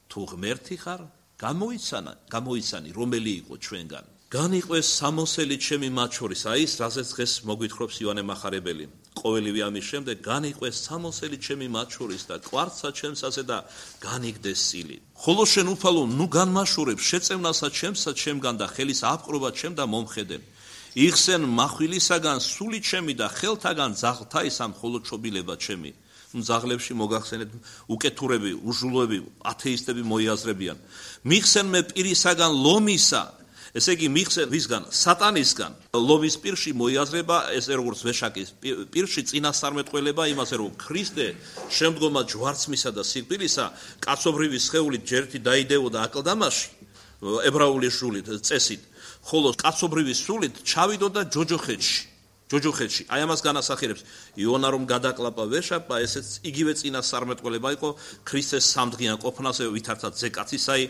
თუ ღმერთი ხარ, გამოიცანა, გამოიცანი, რომელი იყო ჩვენგან. განიყვეს სამოსელი ჩემი მათ შორის, აი ეს რაზეც დღეს მოგვითხრობს ივანე მახარებელი. ყოველივე ამის შემდეგ განიყვეს სამოსელი ჩემი მათ შორის და კვარცა ჩემსაზე და განიგდეს სილი. ხოლო შენ უფალო, ნუ განმაშორებ შეწევნასა ჩემსა ჩემგან და ხელის აპყრობა ჩემ და მომხედე. იხსენ მახვილისაგან სული ჩემი და ხელთაგან ძაღლთა ისამ მხოლოდ ჩობილება ჩემი. ძაღლებში მოგახსენეთ უკეთურები, უჟულოები, ათეისტები მოიაზრებიან. მიხსენ მე პირისაგან ლომისა, ესე იგი მიხსენ ვისგან? სატანისგან. ლომის პირში მოიაზრება, ესე როგორც ვეშაკის პირში წინასწარმეტყველება იმაზე, რომ ქრისტე შემდგომად ჯვარცმისა და სიკვდილისა კაცობრივი სხეულით ჯერთი დაიდეოდა აკლდამაში, ებრაული ჟულით, წესით. ხოლო კაცობრივი სულით ჩავიდოდა ჯოჯოხეთში. ჯოჯოხეთში. აი ამას განასახიერებს იონა რომ გადაკლაპა ვეშაპა, ესეც იგივე წინასწარმეტყველება იყო ქრისტეს სამდღიან ყოფნაზე, ვითარცა ზეკაცისაი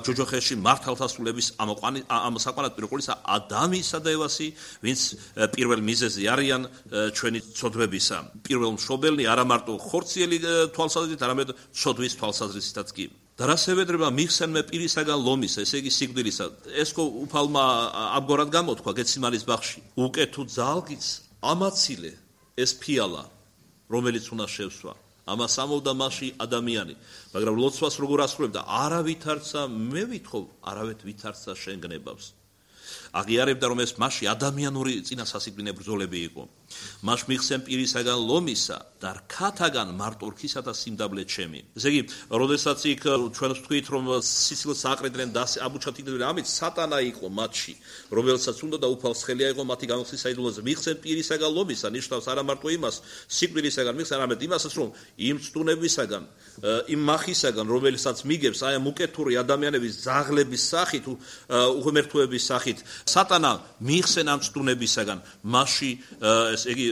ჯოჯოხეთში მართალთა სულების ამოსაყვანად პირყულისა ადამისა და ევასი, ვინც პირველ მიზეზი არიან ჩვენი ცოდვებისა. პირველ მშობელნი არა მარტო ხორციელი თვალსაზრისით, არამედ ცოდვის თვალსაზრისითაც კი. და რა შევედრება მიხსენ მე პირისაგან ლომისა, ესე იგი სიკვდილისა. ესკო უფალმა ამგვარად გამოთქვა გეციმანის ბაღში. უკეთუ ძალგიც ამაცილე ეს ფიალა, რომელიც უნდა შევსვა. ამას ამოვდა მასში ადამიანი, მაგრამ ლოცვას როგორ ასრულებდა? არა ვითარცა მე ვითხოვ, არავეთ ვითარცა შენ გნებავს. აღიარებდა რომ ეს მასში ადამიანური წინასასიკვდინე ბრძოლები იყო. მას მიხსენ პირისაგან ლომისა და რქათაგან მარტორქისა და სიმდაბლე ჩემი. ესე იგი, როდესაც იქ ჩვენ ვთქვით რომ სიცილს აყრიდნენ და აბუჩად იგდებოდნენ, ამით სატანა იყო მათში, რომელსაც უნდა და უფალს ხელი აიღო მათი გამოსხდის საიდუმლოზე. მიხსენ პირისაგან ლომისა ნიშნავს არა მარტო იმას, სიკვდილისაგან მიხსენ, არამედ იმასაც რომ იმ წტუნებისაგან, იმ მახისაგან, რომელსაც მიგებს აი ამ უკეთური ადამიანების ძაღლების სახით, უღმერთოების სახით, სატანა მიხსენ ამ წტუნებისაგან, მასში ესე იგი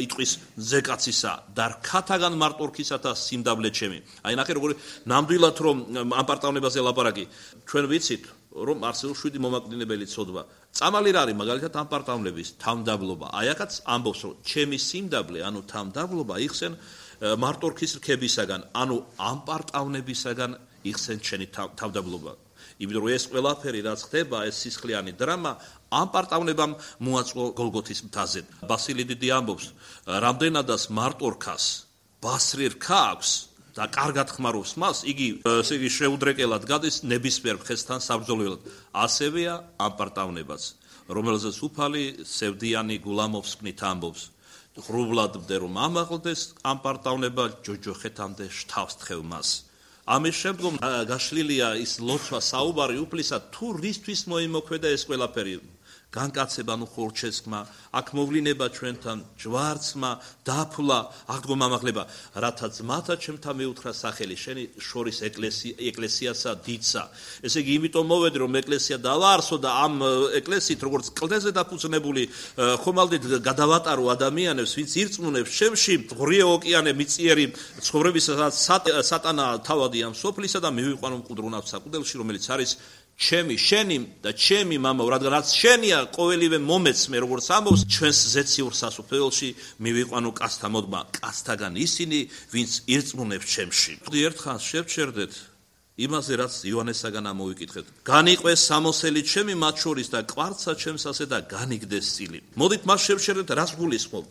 იტყვის ზეკაცისა და რქათაგან მარტორქისა და სიმდაბლე ჩემი. აი ნახე როგორი ნამდვილად რომ ამ პარტავნებაზე ლაპარაკი. ჩვენ ვიცით რომ არსებობს შვიდი მომაკვდინებელი ცოდვა. წამალი რა არის მაგალითად ამ პარტავნების თავმდაბლობა. აი აქაც ამბობს რომ ჩემი სიმდაბლე, ანუ თავმდაბლობა იხსენ მარტორქის რქებისაგან, ანუ ამ პარტავნებისაგან იხსენ ჩემი თავმდაბლობა. იმიტომ რომ ეს ყველაფერი რაც ხდება, ეს სისხლიანი დრამა ამ პარტავნებამ მოაწყო გოლგოთის მთაზე. ბასილი დიდი ამბობს, რამდენადაც მარტორქას ბასრი რქა აქვს და კარგად ხმარობს მას, იგი ესე იგი შეუდრეკელად გადის ნებისმიერ მხესთან საბრძოლველად. ასევეა ამ პარტავნებაც, რომელზეც უფალი სევდიანი გულამოვსკნით ამბობს. ღრუბლად მდე რომ ამაღლდეს ამ პარტავნება ჯოჯოხეთამდე შთავს თხევ მას. ამის შემდგომ გაშლილია ის ლოცვა საუბარი უფლისა, თუ რისთვის მოიმოქმედა ეს ყველაფერი. განკაცება, ნუ ხორჩესკმა, აქ მოვლინება ჩვენთან, ჯვარცმა, დაფლა, აღდგომამაღლება, რათა ძმათა ჩემთა მიუთხრა სახელი, შენი შორის ეკლესია, ეკლესიასა დიდსა. ესე იგი, იმიტომ მოვედი, რომ ეკლესია დავაარსო და ამ ეკლესიით, როგორც კლდეზე დაფუძნებული, ხომალდით გადავატარო ადამიანებს, ვინც ირწმუნებს ჩემში, ღრიე ოკეანე მიწიერი ცხოვრებისაც სატანა თავადი ამ სოფლისა და მივიყვანო მკვდრუნავ საკუდელში, რომელიც არის ჩემი, შენი და ჩემი მამაო, რადგან რაც შენია ყოველივე მომეცმე, როგორც ამბობს, ჩვენს ზეციურ სასუფეველში მივიყვანო კაცთა მოდმა, კაცთაგან ისინი, ვინც ირწმუნებს ჩემში. ერთხანს შევჩერდეთ იმაზე, რაც იოანესაგან ამოვიკითხეთ. განიყვეს სამოსელი ჩემი მათ შორის და კვარცა ჩემს ასე და განიგდეს წილი. მოდით მას შევჩერდეთ, რას გულისხმობ?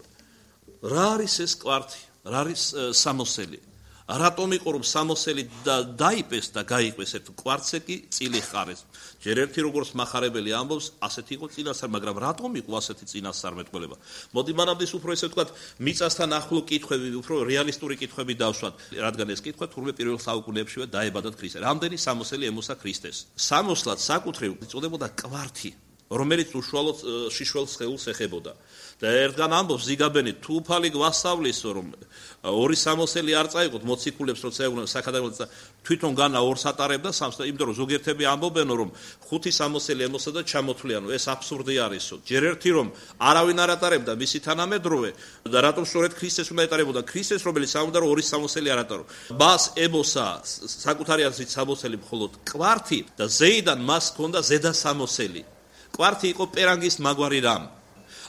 რა არის ეს კვართი? რა არის სამოსელი? რატომ იყო რომ სამოსელი და დაიპეს და გაიყვეს ერთ კვარცე კი წილი ხარეს. ჯერ ერთი როგორც מחარებელი ამბობს, ასეთი იყო წინასწარ, მაგრამ რატომ იყო ასეთი წინასწარმეტყველება? მოდი მანამდე უფრო ესე ვთქვათ, მიწასთან ახლო კითხვები, უფრო რეალისტური კითხვები დავსვათ, რადგან ეს კითხვა თურმე პირველ საუკუნეებშივე დაებადათ ქრისტე. რამდენი სამოსელი ემოსა ქრისტეს? სამოსლად საკუთრივ იწოდებოდა კვართი, რომელიც უშუალოდ შიშველ სხეულს ეხებოდა. და ერთგან ამბობს ზიგაბენი, თუ უფალი გვასწავლისო, რომ ორი სამოსელი არ წაიღოთ მოციქულებს, როცა ეუბნებიან საქადაგებლად და თვითონ განა ორს ატარებდა სამს, იმიტომ რომ ზოგიერთები ამბობენ, რომ ხუთი სამოსელი ემოსა და ჩამოთვლიანო, ეს აბსურდი არისო. ჯერ ერთი რომ არავინ არ ატარებდა მისი თანამედროვე და რატომ სწორედ ქრისტეს უნდა ეტარებოდა? ქრისტეს, რომელიც ამბობდა, რომ ორი სამოსელი არ ატარო. მას ემოსა საკუთარი აზრით სამოსელი მხოლოდ კვართი და ზეიდან მას ჰქონდა ზედა სამოსელი. კვართი იყო პერანგის მაგვარი რამ.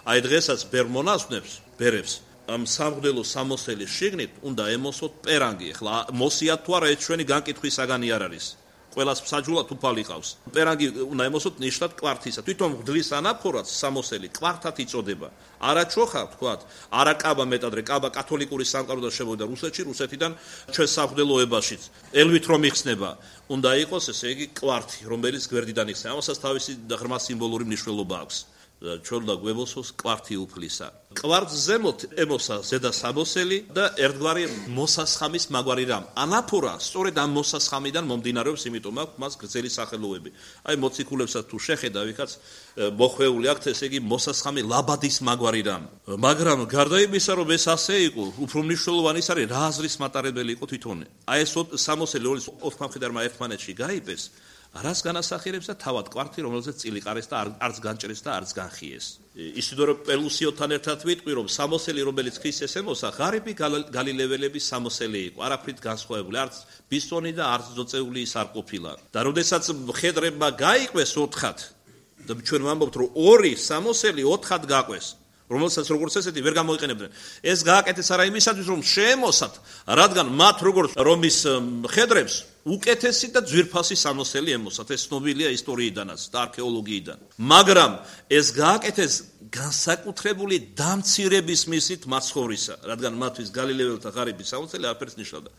აი დღესაც ბერმონასვნებს, ბერებს, ამ სამღვდელო სამოსელის შიგნით უნდა ემოსოთ პერანგი. ახლა მოსიათ თუ არა, ეს ჩვენი განკითხვის საგანი არ არის. ყველას მსაჯულად უფალი ყავს. პერანგი უნდა ემოსოთ ნიშნად კვართისა. თვითონ მღვდლის ანაფორად სამოსელი კვართად იწოდება. არა ჩოხა, თქვათ, არა კაბა მეტადრე, კაბა კათოლიკური სამყაროდან შემოვიდა რუსეთში, რუსეთიდან ჩვენ სამღვდელოებაშიც. ელვით რომ იხსნება, უნდა იყოს ესე იგი კვართი, რომელიც გვერდიდან იხსნება. ამასაც თავისი ღრმა სიმბოლური მნიშვნელობა აქვს. ჩვენ და გვებოსოს კვართი უფლისა. კვართს ზემოთ ემოსა ზედა სამოსელი და ერთგვარი მოსასხამის მაგვარი რამ. ანაფორა სწორედ ამ მოსასხამიდან მომდინარეობს, იმიტომ აქვს მას გრძელი სახელოები. აი მოციქულებსაც თუ შეხედა ვიქაც მოხვეული აქვს, ესე იგი მოსასხამი ლაბადის მაგვარი რამ. მაგრამ გარდა იმისა, რომ ეს ასე იყო, უფრო მნიშვნელოვანი ის არის, რა აზრის მატარებელი იყო თვითონ. აი ეს სამოსელი, რომელიც ოთხ მხედარმა ერთმანეთში გაიპეს, რას განასახიერებს და თავად კვართი, რომელზეც წილი ყარეს და არც განჭრეს და არც განხიეს. ისიდორო პელუსიოთან ერთად ვიტყვი, რომ სამოსელი, რომელიც ქრისტეს ემოსა, ღარიბი გალილეველების სამოსელი იყო, არაფრით განსხვავებული, არც ბისონი და არც ძოწეული ის არ ყოფილა. და როდესაც მხედრებმა გაიყვეს ოთხად, და ჩვენ ვამბობთ, რომ ორი სამოსელი ოთხად გაყვეს, რომელსაც როგორც ესეთი ვერ გამოიყენებდნენ. ეს გააკეთეს არა იმისათვის, რომ შეემოსათ, რადგან მათ როგორც რომის მხედრებს უკეთესი და ძვირფასი სამოსელი ემოსათ. ეს ცნობილია ისტორიიდანაც და არქეოლოგიიდან. მაგრამ ეს გააკეთეს განსაკუთრებული დამცირების მისით მაცხოვრისა, რადგან მათთვის გალილეველთა ღარიბი სამოსელი არაფერს ნიშნავდა.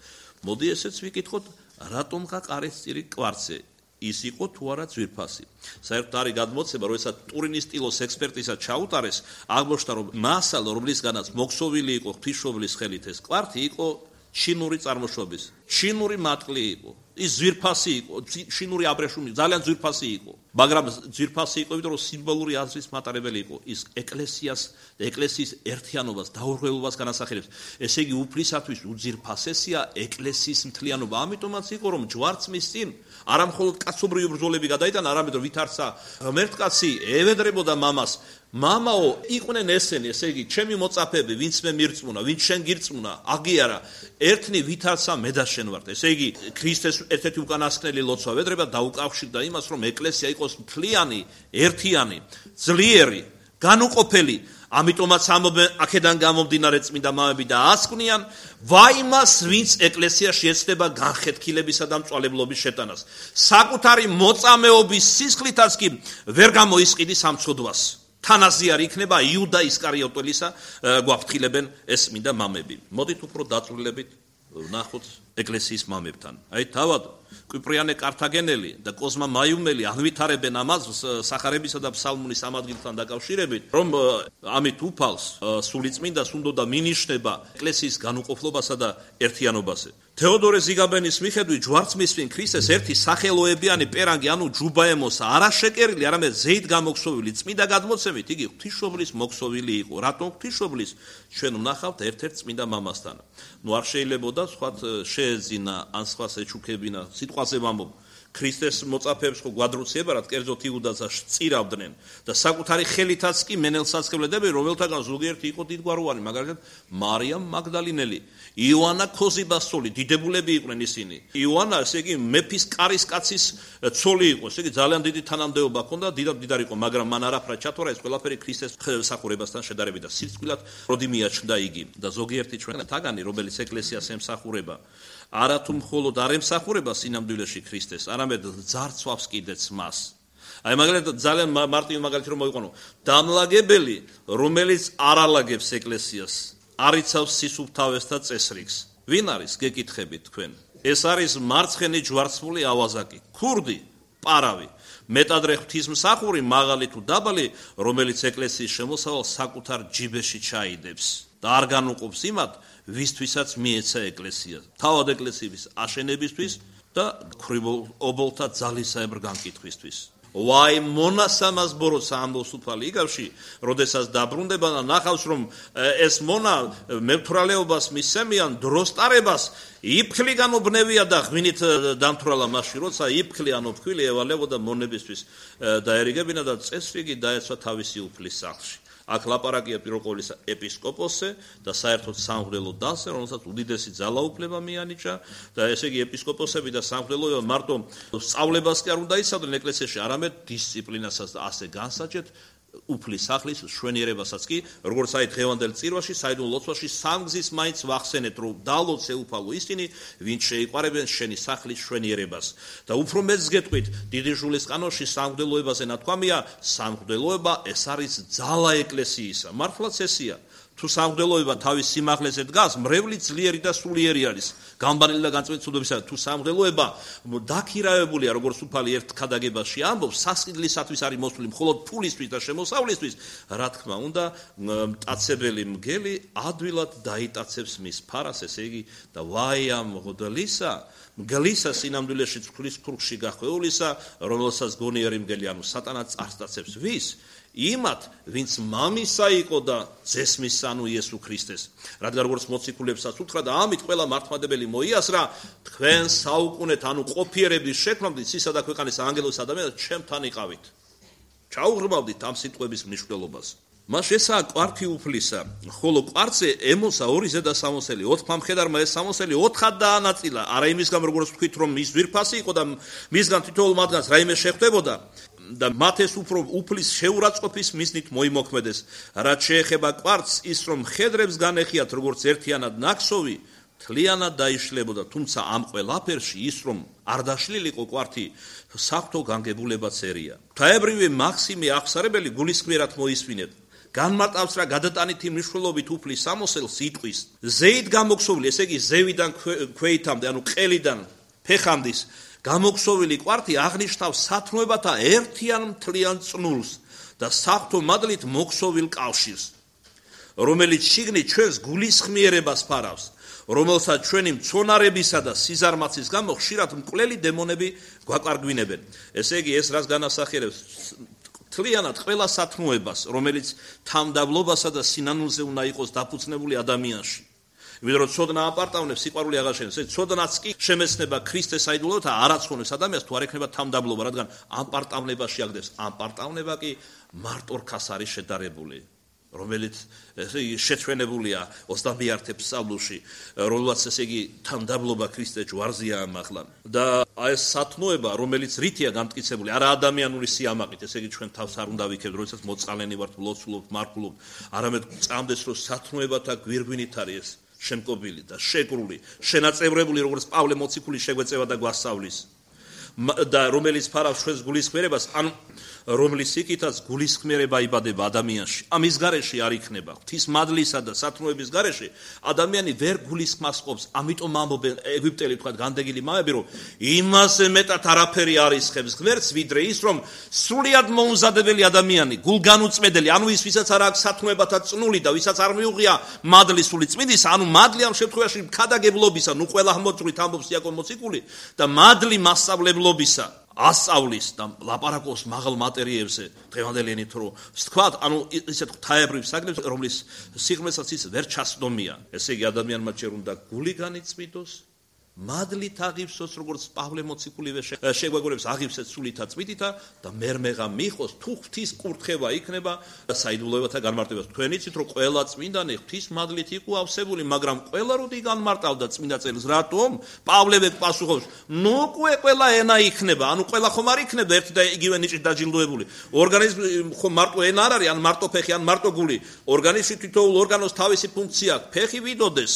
მოდი ესეც ვიკითხოთ, რატომ გაყარეს წირი კვართზე? ის იყო თუ არა ძვირფასი. საერთოდ არის გადმოცემა, როდესაც ტურინის სტილოს ექსპერტიზა ჩაუტარეს, აღმოჩნდა, რომ მასალა, რომლისგანაც მოქსოვილი იყო ღვთისმშობლის ხელით ეს კვართი, იყო ჩინური წარმოშობის. ჩინური მატყლი იყო. ის ძვირფასი იყო, ჩინური აბრეშუმი, ძალიან ძვირფასი იყო. მაგრამ ძვირფასი იყო, იმიტომ რომ სიმბოლური აზრის მატარებელი იყო. ის ეკლესიას, ეკლესიის ერთიანობას, დაურღელობას განასახიერებს. ესე იგი, უფლისათვის უძვირფასესია ეკლესიის მთლიანობა. ამიტომაც იყო, რომ ჯვარცმის წინ არა მხოლოდ კაცობრიო ბრძოლები გადაიტანა, არამედ რომ ვითარცა ღმერთკაცი ევედრებოდა მამას. მამაო, იყვნენ ესენი, ესე იგი, ჩემი მოწაფეები, ვინც მე მირწმუნა, ვინც შენ გირწმუნა, აგიარა, ერთნი ვითარცა მე და შენ ვართ. ესე იგი, ქრისტეს ერთ-ერთი უკანასკნელი ლოცვა ევედრება დაუკავშირდა იმას, რომ ეკლესია იყოს მთლიანი, ერთიანი, ძლიერი, განუყოფელი. ამიტომაც ამობენ აქედან გამომდინარე წმინდა მამები და ასკვნიან, ვაიმას, ვინც ეკლესიაში ეცდება განხეთქილებისა და მწვალებლობის შეტანას. საკუთარი მოწამეობის სისხლითაც კი ვერ გამოისყიდის ამ ცოდვას. თანაზიარი იქნება იუდა ისკარიოტელისა, გვაფრთხილებენ ეს წმინდა მამები. მოდით უფრო დაწვრილებით ვნახოთ ეკლესიის მამებთან. აი თავად კვიპრიანე კართაგენელი და კოზმა მაიუმელი აღვითარებენ ამას სახარებისა და ფსალმუნის ამ ადგილთან დაკავშირებით, რომ ამით უფალს სულიწმინდას უნდა მინიშნება ეკლესიის განუყოფლობასა და ერთიანობაზე. თეოდორე ზიგაბენის მიხედვით ჯვარცმისფრინ ქრისტეს ერთი სახელოებიანი პერანგი, ანუ ჯუბაემოსა, არა შეკერილი, არამედ ზეით გამოქსოვილი წმინდა გადმოცემით იგი ღვთისმშობლის მოქსოვილი იყო. რატომ ღვთისმშობლის? ჩვენ ვნახავთ ერთ-ერთ წმინდა მამასთან. ნუ არ შეიძლებოდა სხვათ შეეძინა ან სხვას ეჩუქებინა, სიტყვაზე ვამბობ. ქრისტეს მოწაფეებს ხო გვადროციებარად კერძოდ იუდაზას წირავდნენ და საკუთარი ხელითაც კი მენელსაც ხედებდნენ, რომელთაგან ზოგიერთი იყო დიდგვაროვანი, მაგალითად მარიამ მაგდალინელი, იოანა ქოზიბასწოლი, დიდებულები იყვნენ ისინი. იოანა, ესე იგი, მეფის კარისკაცის ცოლი იყო, ესე იგი, ძალიან დიდი თანამდებობა ჰქონდა, დიდად დიდარი იყო, მაგრამ მან არაფრად ჩათვალა ეს ყველაფერი ქრისტეს მსახურებასთან შედარებით და სიცოცხლად როდი მიაჩნდა იგი. და ზოგიერთი ჩვენთაგანი, რომელიც ეკლესიას ემსახურება, არა თუ მხოლოდ არ ემსახურება სინამდვილეში ქრისტეს, არამედ ძარცვავს კიდეც მას. აი მაგალითად ძალიან მარტივი მაგალითი რომ მოიყვანო, დამლაგებელი, რომელიც არ ალაგებს ეკლესიას, არ იცავს სისუფთავეს და წესრიგს. ვინ არის? გეკითხებით თქვენ. ეს არის მარცხენი ჯვარცმული ავაზაკი, ქურდი, პარავი, მეტადრე ღვთისმსახური, მაღალი თუ დაბალი, რომელიც ეკლესიის შემოსავალს საკუთარ ჯიბეში ჩაიდებს და არ განუყოფს იმათ, ვისთვისაც მიეცა ეკლესია, თავად ეკლესიის აშენებისთვის და ქრიბობოლთა ძალისაებრ განკითხვისთვის. ვაი მონასამას ბოროტსა ამბობს უფალი იგავში, როდესაც დაბრუნდება და ნახავს, რომ ეს მონა მევთვრალეობას მისცემიან დროსტარებას, იფხლი განობნევია და ღვინით დამთვრალა მასში, როცა იფხლი ან ოფქვილი ევალებოდა მონებისთვის დაერიგებინა და წესრიგი დაეცვა თავისი უფლის სახლში. აქ ლაპარაკია პირველ ყოვლისა ეპისკოპოსზე და საერთოდ სამღვდელო დასზე, რომელსაც უდიდესი ძალაუფლება მიანიჭა და ესე იგი ეპისკოპოსები და სამღვდელოება მარტო სწავლებას კი არ უნდა იცავდნენ ეკლესიაში, არამედ დისციპლინასაც და ასე განსაჭეთ უფლის სახლის შვენიერებასაც კი, როგორც აი დღევანდელ წირვაში, საიდუმლო ლოცვაში სამგზის მაინც ვახსენეთ, რომ დალოცე უფალო ისინი, ვინც შეიყვარებენ შენი სახლის შვენიერებას. და უფრო მეც გეტყვით, დიდი ჟულის კანონში სამღვდელოებაზე ნათქვამია, სამღვდელოება ეს არის ძალა ეკლესიისა. მართლაც ესია. თუ სამღვდელოება თავის სიმაღლეზე დგას, მრევლი ძლიერი და სულიერი არის. გამბანელი და განწმენდი ცუდობისა, თუ სამღვდელოება დაქირავებულია, როგორც უფალი ერთ ქადაგებაში ამბობს, სასყიდლისათვის არის მოსული მხოლოდ ფულისთვის და შემოსავლისთვის, რა თქმა უნდა, მტაცებელი მგელი ადვილად დაიტაცებს მის ფარას, ესე იგი, და ვაი ამ მღვდლისა, მგლისა სინამდვილეში წყლის ქურხში გახვეულისა, რომელსაც გონიერი მგელი, ანუ სატანა წარსტაცებს ვის? იმათ, ვინც მამისა იყო და ძესმის, ანუ იესო ქრისტეს. რადგან როგორც მოციქულებსაც უთხრა და ამით ყველა მართლმადებელი მოიასრა, თქვენ საუკუნეთ, ანუ ყოფიერების შექმნამდე ცისა და ქვეყანის ანგელოს ადამიანს ჩემთან იყავით. ჩაუღრმავდით ამ სიტყვების მნიშვნელობას. მას ესაა კვართი უფლისა, ხოლო კვართზე ემოსა ორი ზედა სამოსელი, ოთხ მხედარმა ეს სამოსელი ოთხად დაანაწილა, არა იმის გამო როგორც თქვით, რომ მის ძვირფასი იყო და მისგან თითოეულ მათგანს რაიმე შეხვდებოდა და მათ ეს უფრო უფლის შეურაცხყოფის მიზნით მოიმოქმედეს. რაც შეეხება კვართს, ის რომ მხედრებს განეხიათ როგორც ერთიანად ნაკსოვი, თლიანად დაიშლებოდა, თუმცა ამ ყველაფერში ის რომ არ დაშლილიყო კვართი, საღვთო განგებულებაც ერია. ღვთაებრივი მაქსიმე აღსარებელი გულისხმიერად მოისმინეთ. განმარტავს რა გადატანითი მნიშვნელობით უფლის სამოსელს იტყვის. ზეით გამოქსოვილი, ესე იგი ზევიდან ქვეითამდე, ანუ ყელიდან ფეხამდის გამოქსოვილი კვართი აღნიშნავს სათნოებათა ერთიან მთლიან წნულს და საღვთო მადლით მოქსოვილ კავშირს, რომელიც შიგნით ჩვენს გულისხმიერებას ფარავს, რომელსაც ჩვენი მცონარებისა და სიზარმაცის გამო ხშირად მკვლელი დემონები გვაკარგვინებენ. ესე იგი ეს რას განასახიერებს? თლიანად ყველა სათნოებას, რომელიც თამდაბლობასა და სინანულზე უნდა იყოს დაფუძნებული ადამიანში. იმიტომ რომ ცოდნა აპარტავნებს, სიყვარული აღარ შექმნას. ეს ცოდნაც კი შემეცნება ქრისტეს საიდუმლოა და არაცხონებს ადამიანს თუ არ ექნება თამდაბლობა, რადგან აპარტავნებაში აგდებს. აპარტავნება კი მარტორქას არის შედარებული, რომელიც ესე იგი შეჩვენებულია ოცდამეერთე ფსალმში, რომელსაც ესე იგი თამდაბლობა ქრისტეს ჯვარზეა ამახლა. და აი ეს სათნოება, რომელიც რითია გამტკიცებული, არა ადამიანური სიამაყით, ესე იგი ჩვენ თავს არ უნდა ვიქებთ, როდესაც მოწყალენი ვართ, ლოცულობთ, მარხულობთ, არამედ წამდეს რომ სათნოებათა გვირგვინით არის ეს შემკობილი და შეკრული, შენაწევრებული, როგორც პავლე მოციქული შეგვეწევა და გვასწავლის. და რომელიც ფარავს ჩვენს გულისხმიერებას, ან რომლის იქითაც გულისხმიერება იბადება ადამიანში. ამის გარეშე არ იქნება. ღვთის მადლისა და სათნოების გარეშე ადამიანი ვერ გულისხმას ყოფს. ამიტომ ამბობენ ეგვიპტელი თქვა განდეგილი მამები, რომ იმასე მეტად არაფერი არ ისხებს ღმერთს, ვიდრე ის, რომ სრულიად მოუმზადებელი ადამიანი, გულგანუწმედელი, ანუ ის, ვისაც არ აქვს სათნოებათა წნული და ვისაც არ მიუღია მადლის სული წმინდის, ანუ მადლი ამ შემთხვევაში ქადაგებლობისა, ნუ ყველა მოწვრით ამბობს იაკობ მოციქული და მადლი მასწავლებლობისა, ასწავლის და ლაპარაკობს მაღალ მატერიებზე დღევანდელი ენით რომ ვთქვათ, ანუ ისეთ ღვთაებრივ საგნებს, რომლის სიღრმესაც ის ვერ ჩასდომია. ესე იგი ადამიანმა ჯერ უნდა გული განიწმინდოს, მადლით აღივსოს, როგორც პავლე მოციქულივე შეგვეგორებს აღივსეთ სულითა წმინდითა და მერმეღა მიხოს, თუ ღვთის კურთხევა იქნება საიდუმლოებათა განმარტებას. თქვენ იცით რომ ყველა წმინდანი ღვთის მადლით იყო ავსებული, მაგრამ ყველა როდი განმარტავდა წმინდა წელს, რატომ? პავლე პასუხობს, ნუ უკვე ყველა ენა იქნება, ანუ ყველა ხომ არ იქნება ერთი და იგივე ნიჭით დაჯილდოებული. ორგანიზმი ხომ მარტო ენა არ არის, ან მარტო ფეხი, ან მარტო გული. ორგანიზმში თითოეულ ორგანოს თავისი ფუნქცია აქვს. ფეხი ვიდოდეს,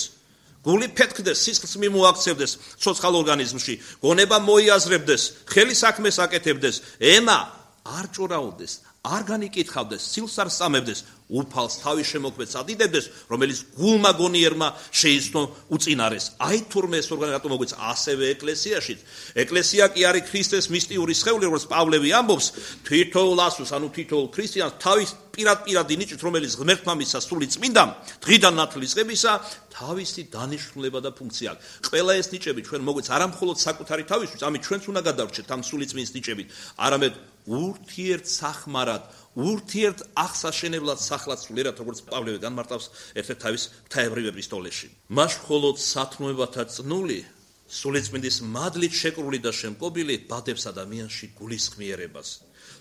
გული ფეთქდეს, სისხლს მიმოაქცევდეს ცოცხალ ორგანიზმში, გონება მოიაზრებდეს, ხელი საქმეს აკეთებდეს, ენა არ ჭორაობდეს, არ განიკითხავდეს, სილს არ სწამებდეს, უფალს თავის შემოქმედს ადიდებდეს, რომელიც გულმა გონიერმა შეიცნო უწინარეს. აი თურმე ეს ორგანიზმი რატომ მოგვიცა ასევე ეკლესიაშიც. ეკლესია კი არის ქრისტეს მისტიური სხეული, როგორც პავლე ამბობს, თითოეულ ასულს, ანუ თითოეულ ქრისტიანს თავის პირად-პირადი ნიჭით, რომელიც ღმერთმა მისცა სული წმინდამ, დღიდან ნათლის ღებისა, თავისი დანიშნულება და ფუნქცია აქვს. ყველა ეს ნიჭები ჩვენ მოგვიცა არა მხოლოდ საკუთარი თავისთვის, ამით ჩვენც უნდა გადავრჩეთ ამ სული წმინდის ნიჭებით, არამედ ურთიერთსახმარად, ურთიერთ აღსაშენებლად სახლად სულიერად, როგორც პავლე განმარტავს ერთ-ერთ თავის ღვთაებრივ ეპისტოლეში. მას მხოლოდ სათნოებათა წნული, სულიწმინდის მადლით შეკრული და შემკობილი ბადებს ადამიანში გულისხმიერებას.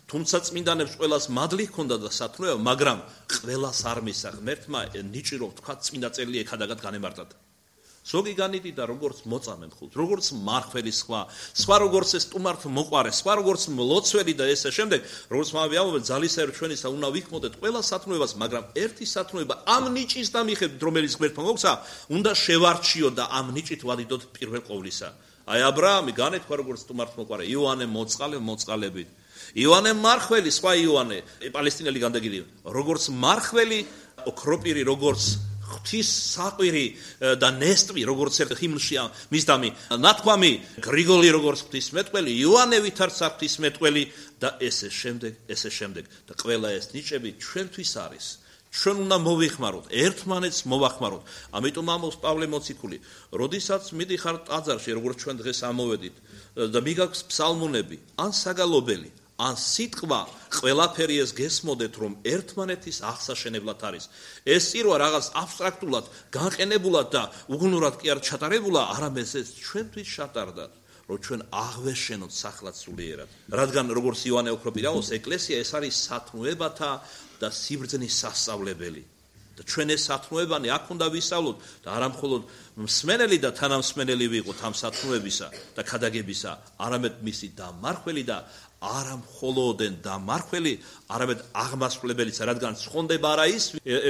თუმცა წმინდანებს ყველას მადლი ჰქონდა და სათნოება, მაგრამ ყველას არ მისცა ღმერთმა ნიჭი, რომ თქვა წმინდა წელი ეხადაგად განემარტათ. ზოგი განიდიდა როგორც მოწამე მხოლოდ, როგორც მარხველი სხვა, სხვა როგორც ეს სტუმართ მოყარე, სხვა როგორც მლოცველი და ესე შემდეგ, როგორც მამები ამბობენ, ძალისეერ ჩვენისა უნდა ვიქმოდეთ ყველა სათნოებას, მაგრამ ერთი სათნოება ამ ნიჭის და მიხედვით, რომელიც ღმერთმა მოგცა, უნდა შევარჩიოთ და ამ ნიჭით ვადიდოთ პირველ ყოვლისა. აი აბრაამი განეთქვა როგორც სტუმართ მოყარე, იოანე მოწყალე მოწყალებით. იოანე მარხველი, სხვა იოანე, პალესტინელი განდეგილი, როგორც მარხველი, ოქროპირი, როგორც ღვთის საყვირი და ნესტვი, როგორც ერთ ჰიმნში მისდამი, ნათქვამი, გრიგოლი როგორც ღვთისმეტყველი, იოანე ვითარცა ღვთისმეტყველი და ესე შემდეგ, ესე შემდეგ. და ყველა ეს ნიჭები ჩვენთვის არის. ჩვენ უნდა მოვიხმაროთ, ერთმანეთს მოვახმაროთ. ამიტომ ამბობს პავლე მოციქული, როდესაც მიდიხარ ტაძარში, როგორც ჩვენ დღეს ამოვედით და მიგაქვს ფსალმუნები, ან საგალობელი, ან სიტყვა, ყველაფერი ეს გესმოდეთ, რომ ერთმანეთის აღსაშენებლად არის. ეს სირვა რაღაც აბსტრაქტულად, განყენებულად და უგუნურად კი არ ჩატარებულა, არამედ ეს ჩვენთვის ჩატარდა, რომ ჩვენ აღვეშენოთ სახლად სულიერად. რადგან როგორც იოანე ოქროპირი ამბობს, ეკლესია ეს არის სათნოებათა და სიბრძნის სასწავლებელი. და ჩვენ ეს სათნოებანი აქ უნდა ვისწავლოთ და არა მხოლოდ მსმენელი და თანამსმენელი ვიყოთ ამ სათნოებისა და ქადაგებისა, არამედ მისი დამარხველი და არა მხოლოდენ დამარხველი, არამედ აღმასრულებელიც, რადგან ცხონდება არა ის,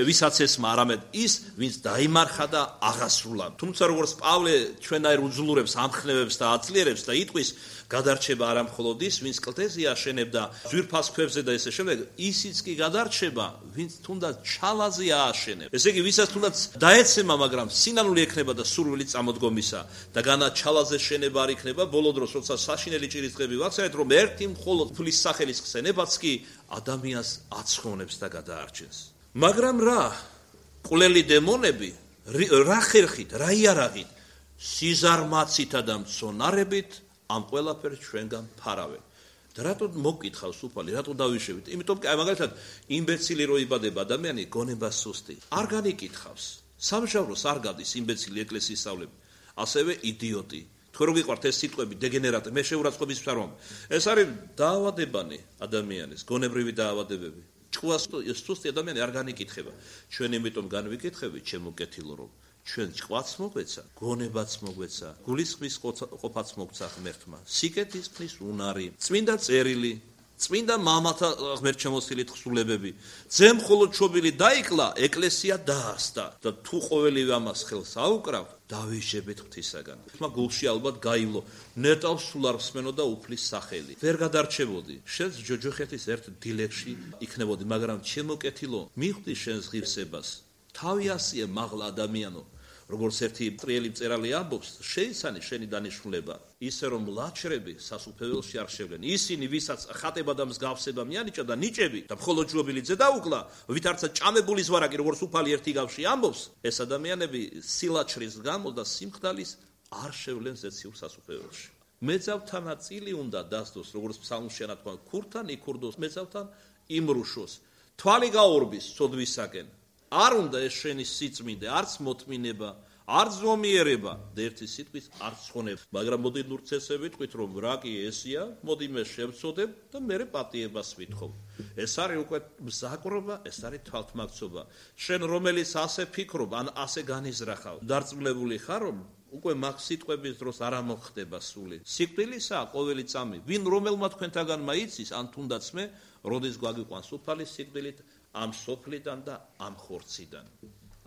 ვისაც ესმა, არამედ ის, ვინც დაიმარხა და აღასრულა. თუმცა როგორც პავლე ჩვენაირ უძლურებს, ამხნევებს და აძლიერებს და იტყვის, გადარჩება არა მხოლოდ ის, ვინც კლდეზე აშენებდა ძვირფას ქვებზე და ესე შემდეგ, ისიც კი გადარჩება, ვინც თუნდაც ჩალაზე ააშენებს. ესე იგი, ვისაც თუნდაც დაეცემა, მაგრამ სინანული ექნება და სურვილი წამოდგომისა და განა ჩალაზე შენება არ იქნება, ბოლო დროს, როცა საშინელი ჭირის დღები ვაქცევით, რომ ერთი მხოლოდ ფulis სახელის ხსენებაც კი ადამიანს აცხოვნებს და გადაარჩენს. მაგრამ რა? ყვლელი დემონები რა ხერხით, რა იარაღით, სიზარმაცითა და მცონარებით ამ ყველაფერს ჩვენგან ფარავენ. და რატო მოგკითხავს უფალი, რატო დავიშევით? იმიტომ კი აი მაგალითად იმბეცილი რო იბადება ადამიანი, გონება სუსტი. არ განიკითხავს. სამშაბლოს არ გადის იმბეცილი ეკლესიის სწავლები. ასევე იდიოტი. თქვენ რო გიყვართ ეს სიტყვები დეგენერატი, მე შეურაცხყოფის ფსარვამ. ეს არის დაავადებანი ადამიანის, გონებრივი დაავადებები. ჭკუას ეს სუსტი ადამიანი არ განიკითხება. ჩვენ იმიტომ განვიკითხებით, ჩემო კეთილო რომ ჩვენ ჭკვაც მოგვეცა, გონებაც მოგვეცა, გულისხმის ყოფაც მოგცა ღმერთმა, სიკეთის ხნის უნარი, წმინდა წერილი, წმინდა მამათა ღმერთშემოსილი თხზულებები. ძემ მხოლოდ ჩობილი დაიკლა, ეკლესია დაასდა და თუ ყოველივე ამას ხელს აუკრავ, დავიშებით ღვთისაგან. ხმა გულში ალბათ გაივლო, ნეტავ სულ არ მსმენოდა უფლის სახელი. ვერ გადარჩებოდი. შენს ჯოჯოხეთის ერთ დილეგში იქნებოდი, მაგრამ ჩემო კეთილო, მიხვდი შენს ღირსებას. თავი ასია მაღლა ადამიანო. როგორც ერთი ტრიელი მწერალი ამბობს, შეიცანი შენი დანიშნულება, ისე რომ ლაჩრები სასუფეველში არ შევლენ. ისინი, ვისაც ხატება და მსგავსება მიანიჭა და ნიჭები და მხოლოდ ჯობილი ძე დაუკლა, ვითარცა ჭამებული ზვარაკი, როგორც უფალი ერთი გავში ამბობს, ეს ადამიანები სილაჩრის გამო და სიმხდალის არ შევლენ ზეციურ სასუფეველში. მეძავთანა წილი უნდა დასდოს, როგორც ფსალმში ანათქვა, ქურთან იქურდოს, მეძავთან იმრუშოს. თვალი გაურბის სოდვისაკენ. არ უნდა ეს შენი სიწმინდე, არც მოთმინება, არც ზომიერება და ერთი სიტყვის არც ცხონება. მაგრამ მოდი ნურცესები თქვით, რომ რა კი ესია, მოდი მე შევწოდებ და მე პატიებას ვითხოვ. ეს არის უკვე მზაკრობა, ეს არის თვალთმაქცობა. შენ რომელიც ასე ფიქრობ, ან ასე განიზრახავ, დარწმუნებული ხარ, რომ უკვე მაგ სიტყვების დროს არ ამოხდება სული. სიკვდილისაა ყოველი წამი. ვინ რომელმა თქვენთაგანმა იცის, ან თუნდაც მე, როდის გვაგიყვანს უფალის სიკვდილით, ამ სოფლიდან და ამ ხორციდან.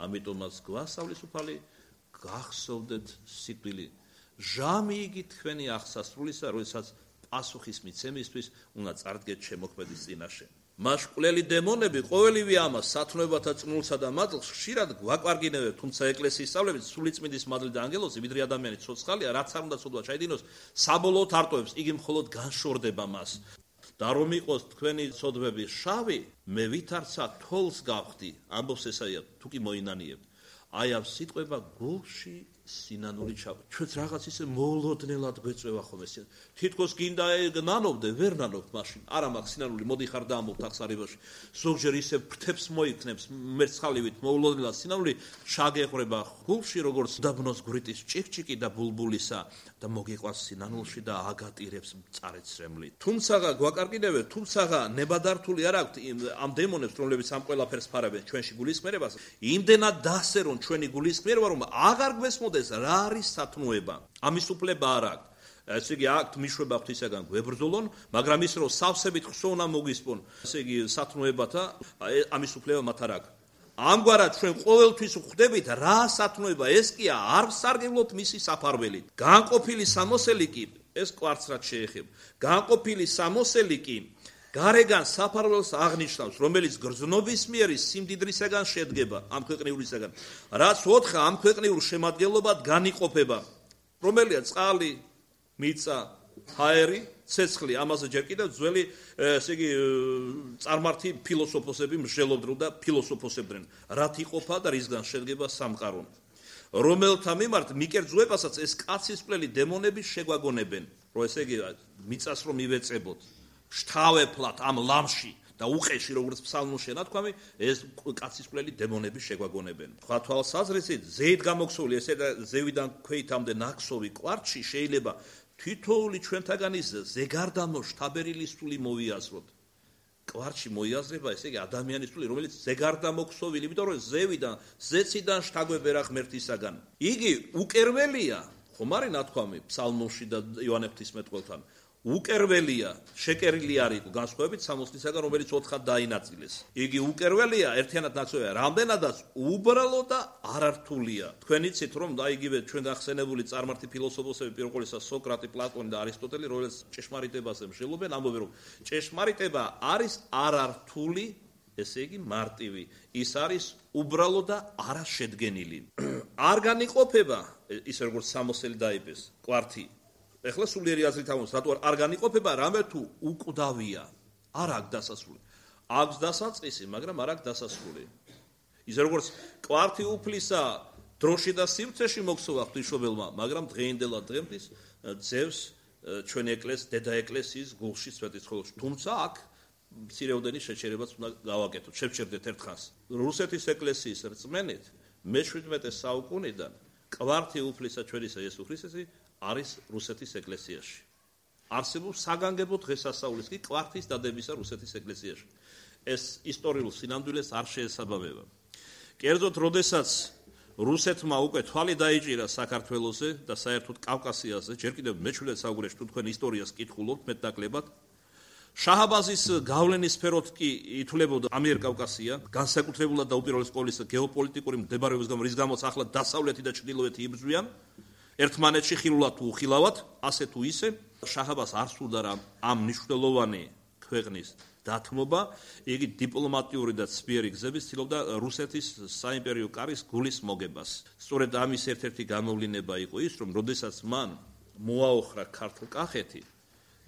ამიტომაც გვასწავლის უფალი, გახსოვდეთ სიკვდილი. ჟამი იგი თქვენი აღსასრულისა, როდესაც პასუხის მიცემისთვის უნდა წარდგეთ შემოქმედის წინაშე. მაშკვლელი დემონები ყოველივე ამას სათნოებათა წნულსა და მატლს ხშირად გვაკვარგინებენ, თუმცა ეკლესიის სწავლებით სულიწმინდის მადლი და ანგელოზი ვიდრე ადამიანის ცოცხალია, რაც არ უნდა ცოდვა ჩაიდინოს, საბოლოოდ არტოებს, იგი მხოლოდ განშორდება მას. და რომ იყოს თქვენი ცოდვები შავი, მე ვითარცა თოლს გავხდი, ამბობს ესაია, თუ კი მოინანიებთ. აი ამ სიტყვება გულში სინანული ჩავა. ჩვენც რაღაც ისე მოულოდნელად გვეწევა ხოლმე. თითქოს გინდა ნანობდე, ვერ ნანობთ მაშინ. არა მაქვს სინანული, მოდიხარ და ამბობთ აღსარებაში. ზოგჯერ ისე ფრთებს მოიქნებს მერცხალივით მოულოდნელად სინანული, შაგეყრება გულში როგორც დაბნოს გვრიტის ჭიქჭიკი და ბულბულისა და მოგიყვანს სინანულში და აგატირებს მწარეცრემლით. თუმცა გვაკარგინებენ, თუმცა ნებადართული არ აქვთ ამ დემონებს, რომლებიც ამ ყველაფერს ფარებენ ჩვენში გულისხმერებას. იმდენად დასე რომ ჩვენი გულისხმერება რომ აღარ გვესმოდეს რა არის სათნოება. ამის უფლება არ აქვს. ესე იგი აქვთ მიშვება ღვთისაგან გვებრძოლონ, მაგრამ ის რომ სავსებით ხსოვნა მოგისპონ, ესე იგი სათნოებათა ამის უფლება მათ არ აქვს. ამგვარად ჩვენ ყოველთვის ვხვდებით რა სათნოება ეს კი არ ვსარგებლოთ მისი საფარველით. განყოფილი სამოსელი კი ეს კვარცრად შეეხება. განყოფილი სამოსელი კი გარეგან საფარველს აღნიშნავს, რომელიც გრძნობის მიერ სიმდიდრისაგან შედგება ამ ქვეყნიურისაგან, რაც ოთხა ამ ქვეყნიურ შემადგენლობად განიყოფება, რომელია წყალი, მიწა, ჰაერი, ცეცხლი, ამაზე ჯერ კიდევ ძველი, ესე იგი, წარმართი ფილოსოფოსები მსჯელობდნენ და ფილოსოფოსებდნენ, რაც იყოფა და რისგან შედგება სამყარო. რომელთა მიმართ მიკერძოებასაც ეს კაცისყლელი დემონები შეგვაგონებენ, რომ ესე იგი, მიწას რომ ივეწებოთ. შთავეფლად ამ ლამში და უყეში როგორც ფსალმში ნათქვამი ეს კაცისყლელი დემონები შეგვაგონებენ. სხვა თვალსაზრისით ზეით გამოქსული ესე და ზევიდან ქვეითამდე ნაკსოვი კვარჩი შეიძლება თითოეული ჩვენთაგანის ზეგარდამო შთაბერილი სული მოვიაზროთ. კვარჩი მოიაზრება ესე იგი ადამიანის სული, რომელიც ზეგარდამოქსოვილი, იმიტომ რომ ზევიდან ზეციდან შთაგვებერა ღმერთისაგან. იგი უკერველია, ხომ არის ნათქვამი ფსალმში და იოანე ღვთისმეტყველთან. უკერველია, შეკერილი არ იყო განსხვავებით სამოსლისაგან, რომელიც ოთხად დაინაწილეს. იგი უკერველია, ერთიანად ნაცვლია, რამდენადაც უბრალო და არართულია. თქვენ იცით, რომ და იგივე ჩვენ გახსენებული წარმართი ფილოსოფოსები, პირველ ყოვლისა სოკრატე, პლატონი და არისტოტელი, რომელიც ჭეშმარიტებაზე მსჯელობენ, ამბობენ, რომ ჭეშმარიტება არის არართული, ესე იგი მარტივი. ის არის უბრალო და არაშედგენილი. არ განიყოფება, ისე როგორც სამოსელი დაიბეს, კვართი. ეხლა სულიერი აზრით ამბობს, რატო არ განიყოფება, რამე თუ უკვდავია, არ აქვს დასასრული. აქვს დასაწყისი, მაგრამ არ აქვს დასასრული. ისე როგორც კვართი უფლისა დროში და სივრცეში მოქცევა ღვთისმშობელმა, მაგრამ დღეინდელად დღემდე ძევს ჩვენი ეკლესიის, დედა ეკლესიის გულში სვეტიცხოველში. თუმცა აქ მცირეოდენი შეჩერებაც უნდა გავაკეთოთ. შევჩერდეთ ერთხანს. რუსეთის ეკლესიის რწმენით მეშვიდმეტე საუკუნიდან კვართი უფლისა ჩვენისა იესო ქრისტესი არის რუსეთის ეკლესიაში. არსებობს საგანგებო დღესასწაულის კი კვართის დადებისა რუსეთის ეკლესიაში. ეს ისტორიულ სინამდვილეს არ შეესაბამება. კერძოდ, როდესაც რუსეთმა უკვე თვალი დაიჭირა საქართველოზე და საერთოდ კავკასიაზე, ჯერ კიდევ მეჩვიდმეტე საუკუნეში თუ თქვენ ისტორიას კითხულობთ მეტნაკლებად, შაჰაბაზის გავლენის სფეროთ კი ითვლებოდა ამიერკავკასია, განსაკუთრებულად და უპირველეს ყოვლისა გეოპოლიტიკური მდებარეობის გამო, რის გამოც ახლა დასავლეთი და ჩრდილოეთი იბრძვიან ერთმანეთში ხილულად თუ უხილავად, ასე თუ ისე, შაჰაბას არ სურდა რა ამ მნიშვნელოვანი ქვეყნის დათმობა, იგი დიპლომატიური და ცბიერი გზების ცდილობდა რუსეთის საიმპერიო კარის გულის მოგებას. სწორედ ამის ერთ-ერთი გამოვლინება იყო ის, რომ როდესაც მან მოაოხრა ქართლ-კახეთი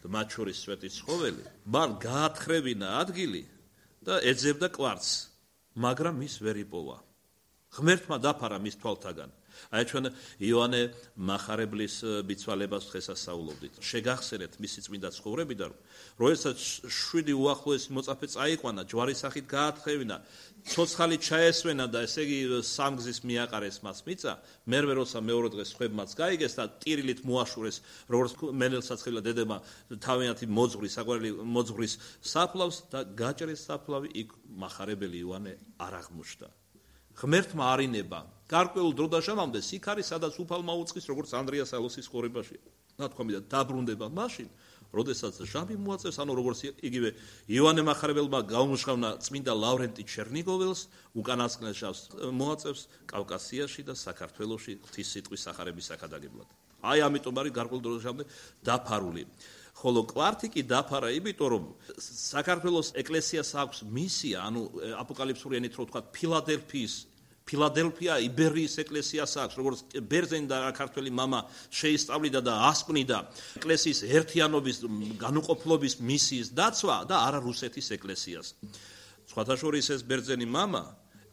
და მათ შორის სვეტიცხოველი, მან გაათხრევინა ადგილი და ეძებდა კვარცს, მაგრამ ის ვერ იპოვა. ღმერთმა დაფარა მის თვალთაგან. აი ჩვენ იოანე მახარებლის ბიცვალებას დღესასწაულობდით. შეგახსენეთ მისი წმინდა ცხოვრები და როდესაც შვიდი უახლოესი მოწაფე წაიყვანა, ჯვარის სახით გაათხრევინა, ცოცხალი ჩაესვენა და ესე იგი სამგზის მიაყარეს მას მიწა, მერვე როცა მეორე დღეს ხვებმაც გაიგეს და ტირილით მოაშურეს, როგორც მენელსაცხელა დედება თავიანთი მოძღვრის, საყვარელი მოძღვრის საფლავს და გაჭრეს საფლავი, იქ მახარებელი იოანე არ აღმოჩნდა. ღმერთმა არინება გარკვეულ დრო და ჟამამდე იქ არის, სადაც უფალმა უწყის, როგორც ანდრიას ალოსის ხორებაში. ნათქვამი და დაბრუნდება მაშინ, როდესაც ჟამი მოაწევს, ანუ როგორც იგივე იოანე მახარებელმა გაუმჟღავნა წმინდა ლავრენტი ჩერნიგოველს, უკანასკნელ ჟამს მოაწევს კავკასიაში და საქართველოში ღვთის სიტყვის სახარების საკადაგებლად. აი ამიტომ არის გარკვეულ დრო და ჟამამდე დაფარული. ხოლო კვართი კი დაფარა იმიტომ, რომ საქართველოს ეკლესიას აქვს მისია, ანუ აპოკალიფსური ენით რო ვთქვათ, ფილადელფიის ფილადელფია იბერიის ეკლესიას აქვს, როგორც ბერძენი და ქართველი მამა შეისწავლიდა და ასპნიდა ეკლესიის ერთიანობის, განუყოფლობის მისიის დაცვა და არა რუსეთის ეკლესიას. სხვათა შორის ეს ბერძენი მამა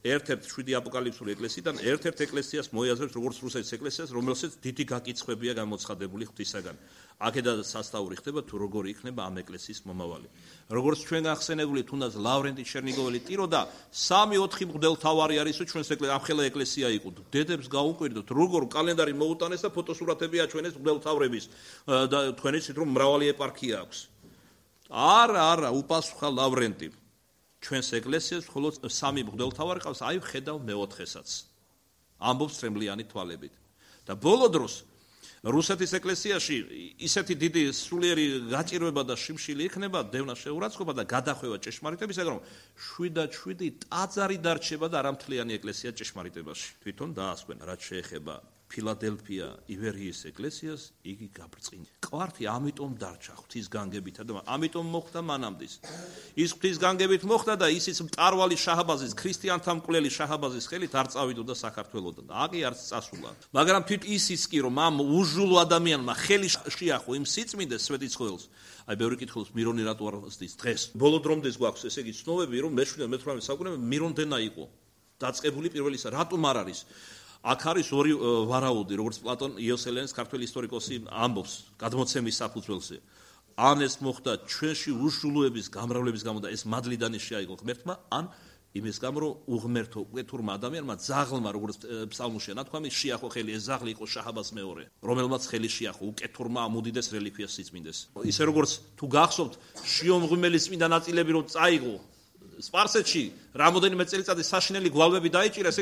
ერთ-ერთ შვიდი აპოკალიფსური ეკლესიიდან ერთ-ერთ ეკლესიას მოიაზრებს, როგორც რუსეთის ეკლესიას, რომელსაც დიდი გაკიცხებია გამოცხადებული ღვთისაგან. აქედან სასწაური ხდება თუ როგორი იქნება ამ ეკლესიის მომავალი. როგორც ჩვენ ახსენებული, თუნდაც ლავრენტი ჩერნიგოველი ტიროდა, სამი ოთხი მღვდელთავარი არის, ჩვენს ამხელა ეკლესია იყო. დედებს გაუკვირდოთ, როგორ კალენდარი მოუტანეს და ფოტოსურათები აჩვენეს მღვდელთავრების და თქვენ იცით რომ მრავალი ეპარქია აქვს. არა, არა, უპასუხა ლავრენტი. ჩვენს ეკლესიას მხოლოდ სამი მღვდელთავარი ყავს, აი ვხედავ მეოთხესაც. ამბობს ტრემლიანი თვალებით. და ბოლო დროს რუსეთის ეკლესიაში ისეთი დიდი სულიერი გაჭირვება და შიმშილი იქნება, დევნა შეურაცხყოფა და გადახვევა ჭეშმარიტებისაგან, რომ შვიდად შვიდი ტაძარი დარჩება და არამთლიანი ეკლესია ჭეშმარიტებაში. თვითონ დაასკვენა, რაც შეეხება ფილადელფია ივერიის ეკლესიას, იგი გაბრწყინდა. კვართი ამიტომ დარჩა ღვთის განგებითა და ამიტომ მოხდა მანამდის. ის ღვთის განგებით მოხდა და ისიც მტარვალი შაჰაბაზის, ქრისტიანთა მკვლელი შაჰაბაზის ხელით არ წავიდოდა საქართველოდან. აგი არც წასულა. მაგრამ თვით ისიც კი რომ ამ უჟულო ადამიანმა ხელი შეახო იმ სიწმინდეს სვეტიცხოველს. აი ბევრი კითხულობს მირონი რატო არ ზრდის დღეს. ბოლო დრომდე გვაქვს ესე იგი ცნობები, რომ მეშვიდე მეთვრამეტე საუკუნეში მირონდენა იყო დაწყებული პირველისა. რატომ არ არის? აქ არის ორი ვარაუდი, როგორც პლატონ იოსელენის ქართველი ისტორიკოსი ამბობს გადმოცემის საფუძველზე. ან ეს მოხდა ჩვენში უშულოების გამრავლების გამო და ეს მადლიდანი შეაიღო ღმერთმა, ან იმის გამო, რომ უღმერთო უკეთურმა ადამიანმა ძაღლმა, როგორც ფსალმუშია ნათქვამი, შეახო ხელი, ეს ძაღლი იყო შაჰაბას მეორე, რომელმაც ხელი შეახო უკეთურმა ამ უდიდეს რელიკვიას სიწმინდეს. ისე როგორც თუ გახსოვთ, შიომღვიმელის წმინდა ნაწილები რომ წაიღო სპარსეთში რამოდენიმე წელიწადი საშინელი გვალვები დაიჭირეს,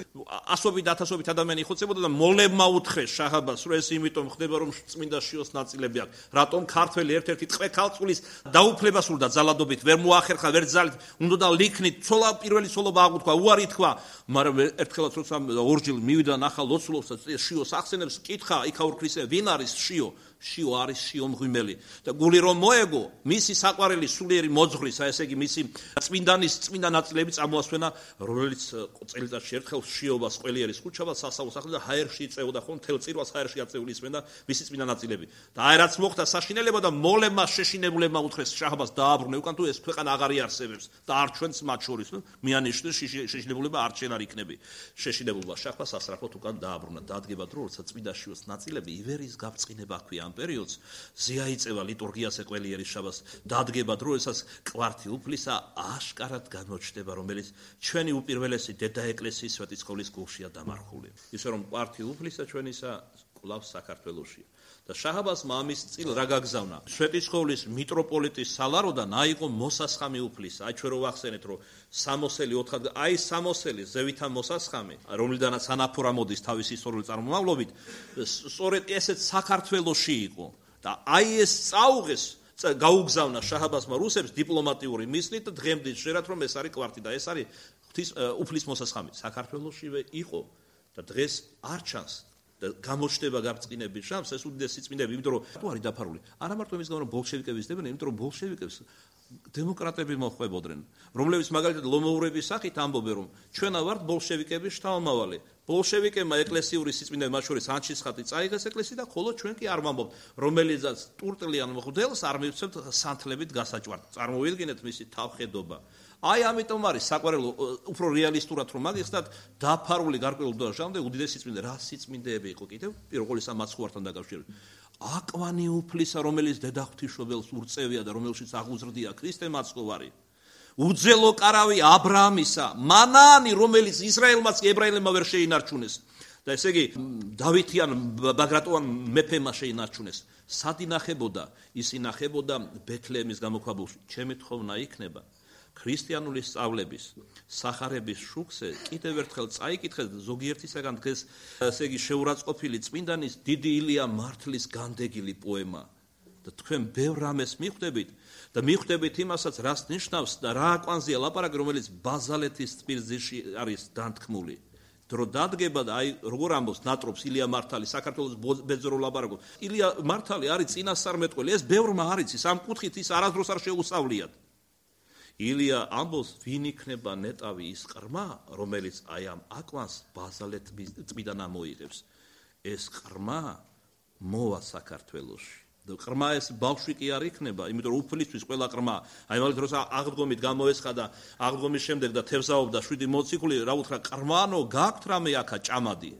ასობით ათასობით ადამიანი იხოცებოდა და მოლებმა უთხრეს შაჰაბას, რომ ეს იმიტომ ხდება, რომ წმინდა შიოს ნაწილები აქვს. რატომ ქართველი ერთ-ერთი ტყვე ქალწულის დაუფლება სურდა ძალადობით, ვერ მოახერხა, ვერ ძალით, უნდა ლიქნით, ცოლა პირველი ცოლობა აღუთქვა, უარი თქვა, მაგრამ ერთხელაც როცა ორჯილ მივიდა ნახალ ლოცულობს და შიოს ახსენებს, კითხა იქაურ ქრისტე, ვინ არის შიო? შიო არის შიომღვიმელი და გული რომ მოეგო, მისი საყვარელი სულიერი მოძღვრის, აი ესე იგი მისი წმინდანის წმინდა ნაწილები წამოასვენა, რომელიც წელიწადში ერთხელ შიობას ყველიერის ხუჩაბას სასწაულს ახდენდა და ჰაერში იწევდა ხომ თელ წირვას ჰაერში აწეული ისმენდა მისი წმინდა ნაწილები. და აი რაც მოხდა საშინელება და მოლებმა შეშინებულებმა უთხრეს შაჰაბას დააბრუნე უკან თუ ეს ქვეყანა აღარ იარსებებს და არ ჩვენს მათ შორის მიანიშნე შეშინებულება არ ჩვენ არ იქნები. შეშინებულმა შაჰბას ასრაფოთ უკან დააბრუნა. დადგება დრო, როცა წმინდა შიოს ნაწილები ივერიის გაბწყინება ჰქვია ამ პერიოდს, ზეაიწევა ლიტურგიას ეყველიერის შაბას, დადგება დრო, ესაც კვართი უფლისა აშკარად გამოჩნდება, რომელიც ჩვენი უპირველესი დედა ეკლესიის სვეტიცხოვლის გულშია დამარხული. ისე რომ კვართი უფლისა ჩვენისა კვლავს საქართველოშია. და შაჰაბას მამის წილ რა გაგზავნა? სვეტიცხოვლის მიტროპოლიტის სალაროდან აიღო მოსასხამი უფლისა. აი ჩვენ რო ვახსენეთ, რომ სამოსელი ოთხად, აი სამოსელი ზევითა მოსასხამი, რომლიდანაც ანაფორა მოდის თავის ისტორიული წარმომავლობით, სწორედ ესეც საქართველოში იყო. და აი ეს წაუღეს გაუგზავნა შაჰაბასმა რუსებს დიპლომატიური მისლით და დღემდე შეიძლება რომ ეს არის კვართი და ეს არის ღვთის უფლის მოსასხამი. საქართველოსშივე იყო და დღეს არ ჩანს და გამოჩნდება გაბრწყინების შანსი ეს უდიდესი სიწმინდეები, იმიტომ რომ თუ არის დაფარული. არა მარტო იმის გამო რომ ბოლშევიკების დებენ, იმიტომ რომ ბოლშევიკებს დემოკრატები მოხვებოდნენ, რომლებიც მაგალითად ლომოურების სახით ამბობენ, რომ ჩვენა ვართ ბოლშევიკების შთამომავალი. ბოლშევიკებმა ეკლესიური სიწმინდეები, მათ შორის ანჩისხატი წაიღეს ეკლესია და ხოლო ჩვენ კი არ ვამბობთ, რომელიცაც ტურტლიან მღვდელს არ მივცემთ სანთლებით გასაჭვართ. წარმოვიდგინეთ მისი თავხედობა. აი ამიტომ არის საყვარელო უფრო რეალისტურად რომ მაგიხსნათ დაფარული გარკვეულ დროშამდე უდიდესი სიწმინდე რა სიწმინდეები იყო კიდევ პირველ ყოვლისა მაცხოვართან დაკავშირებით. აკვანი უფლისა, რომელიც დედაღვთისმშობელს ურწევია და რომელშიც აღუზრდია ქრისტე მაცხოვარი. უძელო კარავი აბრაამისა, მანანი, რომელიც ისრაელმაც ებრაელებმა ვერ შეინარჩუნეს. და ესე იგი დავითიან ბაგრატოვან მეფემა შეინარჩუნეს. სად ინახებოდა? ის ინახებოდა ბეთლეემის გამოქვაბულში. ჩემი თხოვნა იქნება ქრისტიანული სწავლების სახარების შუქზე კიდევ ერთხელ წაიკითხეთ ზოგიერთისაგან დღეს ესე იგი შეურაცხყოფილი წმინდანის დიდი ილია მართლის განდეგილი პოემა და თქვენ ბევრ რამეს მიხვდებით და მიხვდებით იმასაც რას ნიშნავს და რა აკვანზეა ლაპარაკი რომელიც ბაზალეთის ტვირთზეში არის დანთქმული დრო დადგება და აი როგორ ამბობს ნატრობს ილია მართალი საქართველოს ბეძრო ლაპარაკობს ილია მართალი არის წინასწარმეტყველი ეს ბევრმა არის ის ამ კუთხით ის არასდროს არ შეუსწავლიათ ილია ამბობს ვინ იქნება ნეტავი ის ყრმა რომელიც აი ამ აკვანს ბაზალეთის ტბიდან ამოიღებს ეს ყრმა მოვა საქართველოში და ყრმა ეს ბავშვი კი არ იქნება იმიტომ რომ უფლისთვის ყველა ყრმა აი მაგალითად როცა აღდგომით გამოესხა აღდგომის შემდეგ და თევზაობდა შვიდი მოციქული რა უთხრა ყრმანო გაქვთ რამე აქა ჭამადი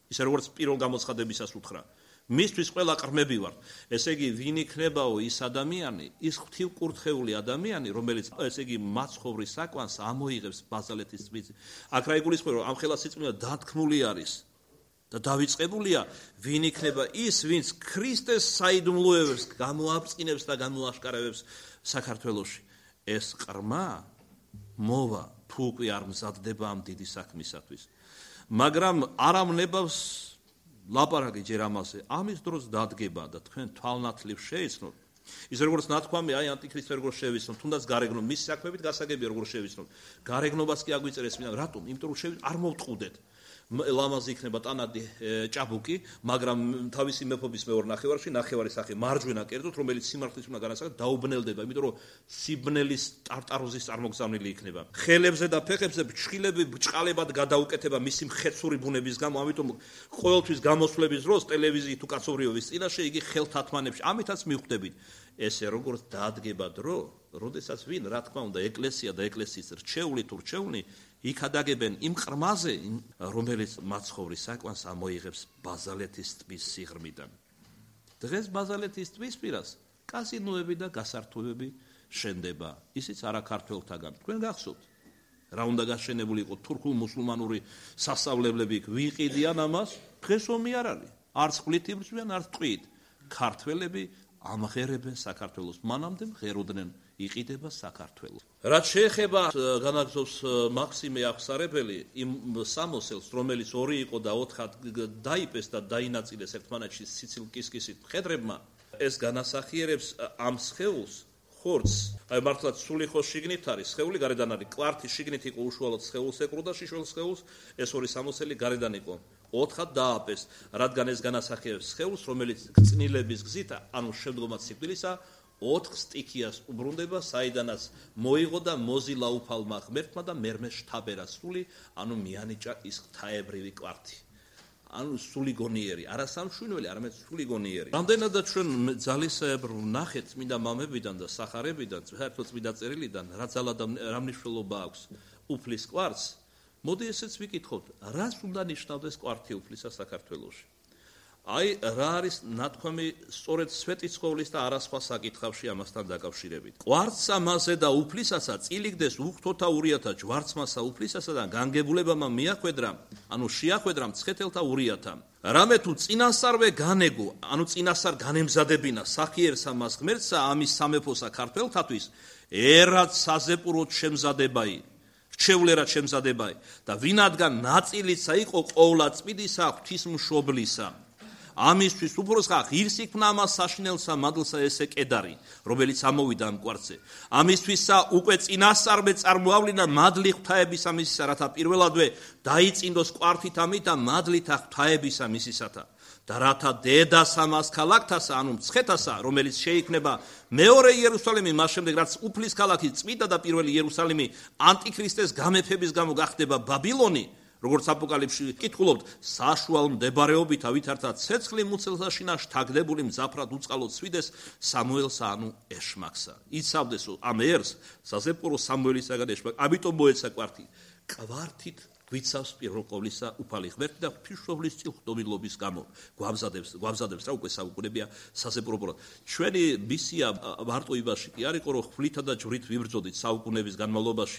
ისე როგორც პირველ გამოცხადებისას უთხრა მისთვის ყველა ყრმები ვართ. ესე იგი, ვინ იქნებაო ის ადამიანი, ის ღვთივკურთხეული ადამიანი, რომელიც ესე იგი მაცხოვრის საკვანს ამოიღებს ბაზალეთის ტბაზე. აქ რა იგულისხმება, რომ ამ ხელა სიწმინდა დათქმული არის და დავიწყებულია, ვინ იქნება ის, ვინც ქრისტეს საიდუმლოებებს გამოაბწყინებს და გამოაშკარავებს საქართველოში. ეს ყრმა მოვა, თუ უკვე არ მზადდება ამ დიდი საქმისათვის. მაგრამ არ ამნებავს ლაპარაკი ჯერ ამაზე, ამის დროს დადგება და თქვენ თვალნათლივ შეიცნოთ. ის როგორც ნათქვამი, აი ანტიქრისტე როგორ შევიცნოთ, თუნდაც გარეგნო მის საქმეებით გასაგებია როგორ შევიცნოთ. გარეგნობას კი აგვიწერეს მინდა, რატომ? იმიტომ რომ შევიცნოთ, არ მოვტყუდეთ. ლამაზი იქნება ტანადი ჭაბუკი, მაგრამ თავისი მეფობის მეორე ნახევარში, ნახევარი სახე მარჯვენა კერძოდ, რომელიც სიმართლის უნდა განასახადოს, დაუბნელდება, იმიტომ რომ სიბნელის ტარტაროზის წარმოგზავნილი იქნება. ხელებზე და ფეხებზე ფრჩხილები ბჭყალებად გადაუკეთება მისი მხეცური ბუნების გამო, ამიტომ ყოველთვის გამოსვლების დროს ტელევიზიით თუ კაცობრიობის წინაშე იგი ხელთათმანებში, ამითაც მიხვდებით. ესე როგორც დაადგება დრო, როდესაც ვინ, რა თქმა უნდა, ეკლესია და ეკლესიის რჩეული თუ რჩეულნი იქ ადაგებენ იმ ყრმაზე, რომელიც მაცხოვრის საკვანს ამოიღებს ბაზალეთის ტბის სიღრმიდან. დღეს ბაზალეთის ტბის პირას კაზინოები და გასართობები შენდება, ისიც არა ქართველთაგან. თქვენ გახსოვთ, რა უნდა გაშენებული იყო თურქულ-მუსულმანური სასწავლებლები იქ ვიყიდიან ამას, დღეს ომი არ არის. არც წყლით იბრძვიან, არც ტყვიით. ქართველები ამღერებენ საქართველოს, მანამდე მღეროდნენ იყიდება საქართველოს. რაც შეეხება განაგზობს მაქსიმე აღსარებელი იმ სამოსელს, რომელიც ორი იყო და ოთხად დაიპეს და დაინაწილეს ერთმანეთში სიცილკისკისით მხედრებმა, ეს განასახიერებს ამ სხეულს ხორცს. აი მართლაც სული ხო შიგნით არის, სხეული გარედან არის. კვართი შიგნით იყო უშუალოდ სხეულს ეკროდა შიშველ სხეულს, ეს ორი სამოსელი გარედან იყო. ოთხად დააპეს, რადგან ეს განასახიერებს სხეულს, რომელიც გწნილების გზით, ანუ შემდგომად სიკვდილისა ოთხ სტიქიას უბრუნდება, საიდანაც მოიღო და მოზილა უფალმა ღმერთმა და მერმე შთაბერა სული, ანუ მიანიჭა ის ღვთაებრივი კვართი. ანუ სული გონიერი, არა სამშვინველი, არამედ სული გონიერი. რამდენადაც ჩვენ ძალისებრ ვნახეთ წმინდა მამებიდან და სახარებიდან, საერთოდ წმინდა წერილიდან, რა ძალა და რა მნიშვნელობა აქვს უფლის კვართს, მოდი ესეც ვიკითხოთ, რას უნდა ნიშნავდეს კვართი უფლისა საქართველოში. აი რა არის ნათქვამი სწორედ სვეტიცხოვლის და არასხვა საკითხავში ამასთან დაკავშირებით. კვართსა მასე და უფლისასა წილიგდეს უხთოთა ურიათა ჯვარცმასა უფლისასა და განგებულებამა მიახვედრა, ანუ შეახვედრა მცხეთელთა ურიათა. რამე თუ წინასწარვე განეგო, ანუ წინასწარ განემზადებინა სახიერსა მას ღმერთსა ამის სამეფოსა ქართველთათვის, ერად საზეპუროდ შემზადებაი. რჩეულერად შემზადებაი და ვინადგან ნაწილისა იყო ყოვლადწმიდისა ღვთისმშობლისა. ამისთვის უფროსხა ღირს იქნა ამას საშინელსა მადლსა ესე კედარი, რომელიც ამოვიდა ამ კვართზე. ამისთვისა უკვე წინასწარმე წარმოავლინა მადლი ღვთაებისა მისისა, რათა პირველადვე დაიწინდოს კვართით ამით და მადლით ღვთაებისა მისისათა. და რათა დედას ამას ქალაქთასა, ანუ მცხეთასა, რომელიც შეიქმნება მეორე იერუსალიმი, მას შემდეგ რაც უფლის ქალაქი წმინდა და პირველი იერუსალიმი ანტიქრისტეს გამეფების გამო გახდება ბაბილონი, როგორც აპოკალიფსში კითხულობთ, საშუალ მდებარეობით ავითართა ცეცხლი მუცელსაშინა შთაგდებული მძაფრად უწყალოდ სვიდეს სამუელსა, ანუ ეშმაკსა. იცავდეს ამ ერს საზეპურო სამუელისაგან ეშმაკ, ამიტომ მოეცა კვართი. კვართით გვიცავს პირველ ყოვლისა უფალი ღმერთი და ღვთისმშობლის წილხდომილობის გამო გვამზადებს გვამზადებს რა უკვე საუკუნეებია საზეპურობურად. ჩვენი მისია მარტო იმაში კი არ იყო, რომ ხვლითა და ჯვრით ვიბრძოდით საუკუნეების განმავლობაში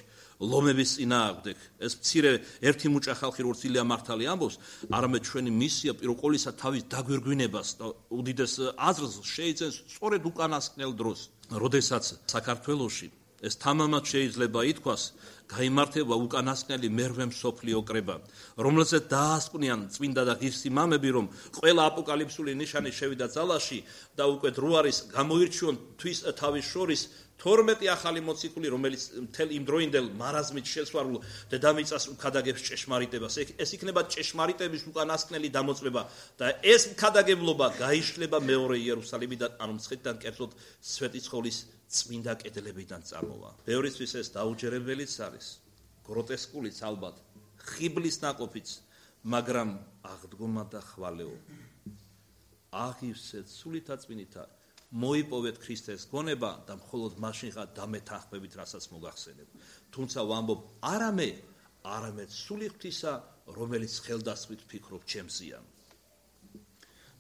ლომების წინააღმდეგ. ეს მცირე ერთი მუჭა ხალხი როგორც ილია მართალი ამბობს, არამედ ჩვენი მისია პირველ ყოვლისა თავის დაგვირგვინებას და უდიდეს აზრს შეიძენს სწორედ უკანასკნელ დროს, როდესაც საქართველოში ეს თამამად შეიძლება ითქვას, გაიმართება უკანასკნელი მერვე მსოფლიო კრება, რომელზეც დაასკვნიან წმინდა და ღირსი მამები, რომ ყველა აპოკალიფსური ნიშანი შევიდა ძალაში და უკვე დრო არის გამოირჩიონ თვის თავის შორის თორმეტი ახალი მოციქული, რომელიც მთელ იმ დროინდელ მარაზმით შესვარულ დედამიწას უქადაგებს ჭეშმარიტებას. ეს იქნება ჭეშმარიტების უკანასკნელი დამოწმება და ეს ქადაგებლობა გაიშლება მეორე იერუსალიმიდან, ანუ მცხეთიდან, კერძოდ სვეტიცხოვლის წმინდა კედლებიდან წარმოვა. ბევრისთვის ეს დაუჯერებელიც არის, გროტესკულიც ალბათ, ხიბლის ნაყოფიც, მაგრამ აღდგომა და ხვალეო. აღივსეთ სულითა წმინითა მოიპოვეთ ქრისტეს გონება და მხოლოდ მაშინღა დამეთანხმებით, რასაც მოგახსენებ. თუმცა ვამბობ არამე, არამედ სული ღვთისა, რომელიც ხელდასხმით ფიქრობ ჩემზეა.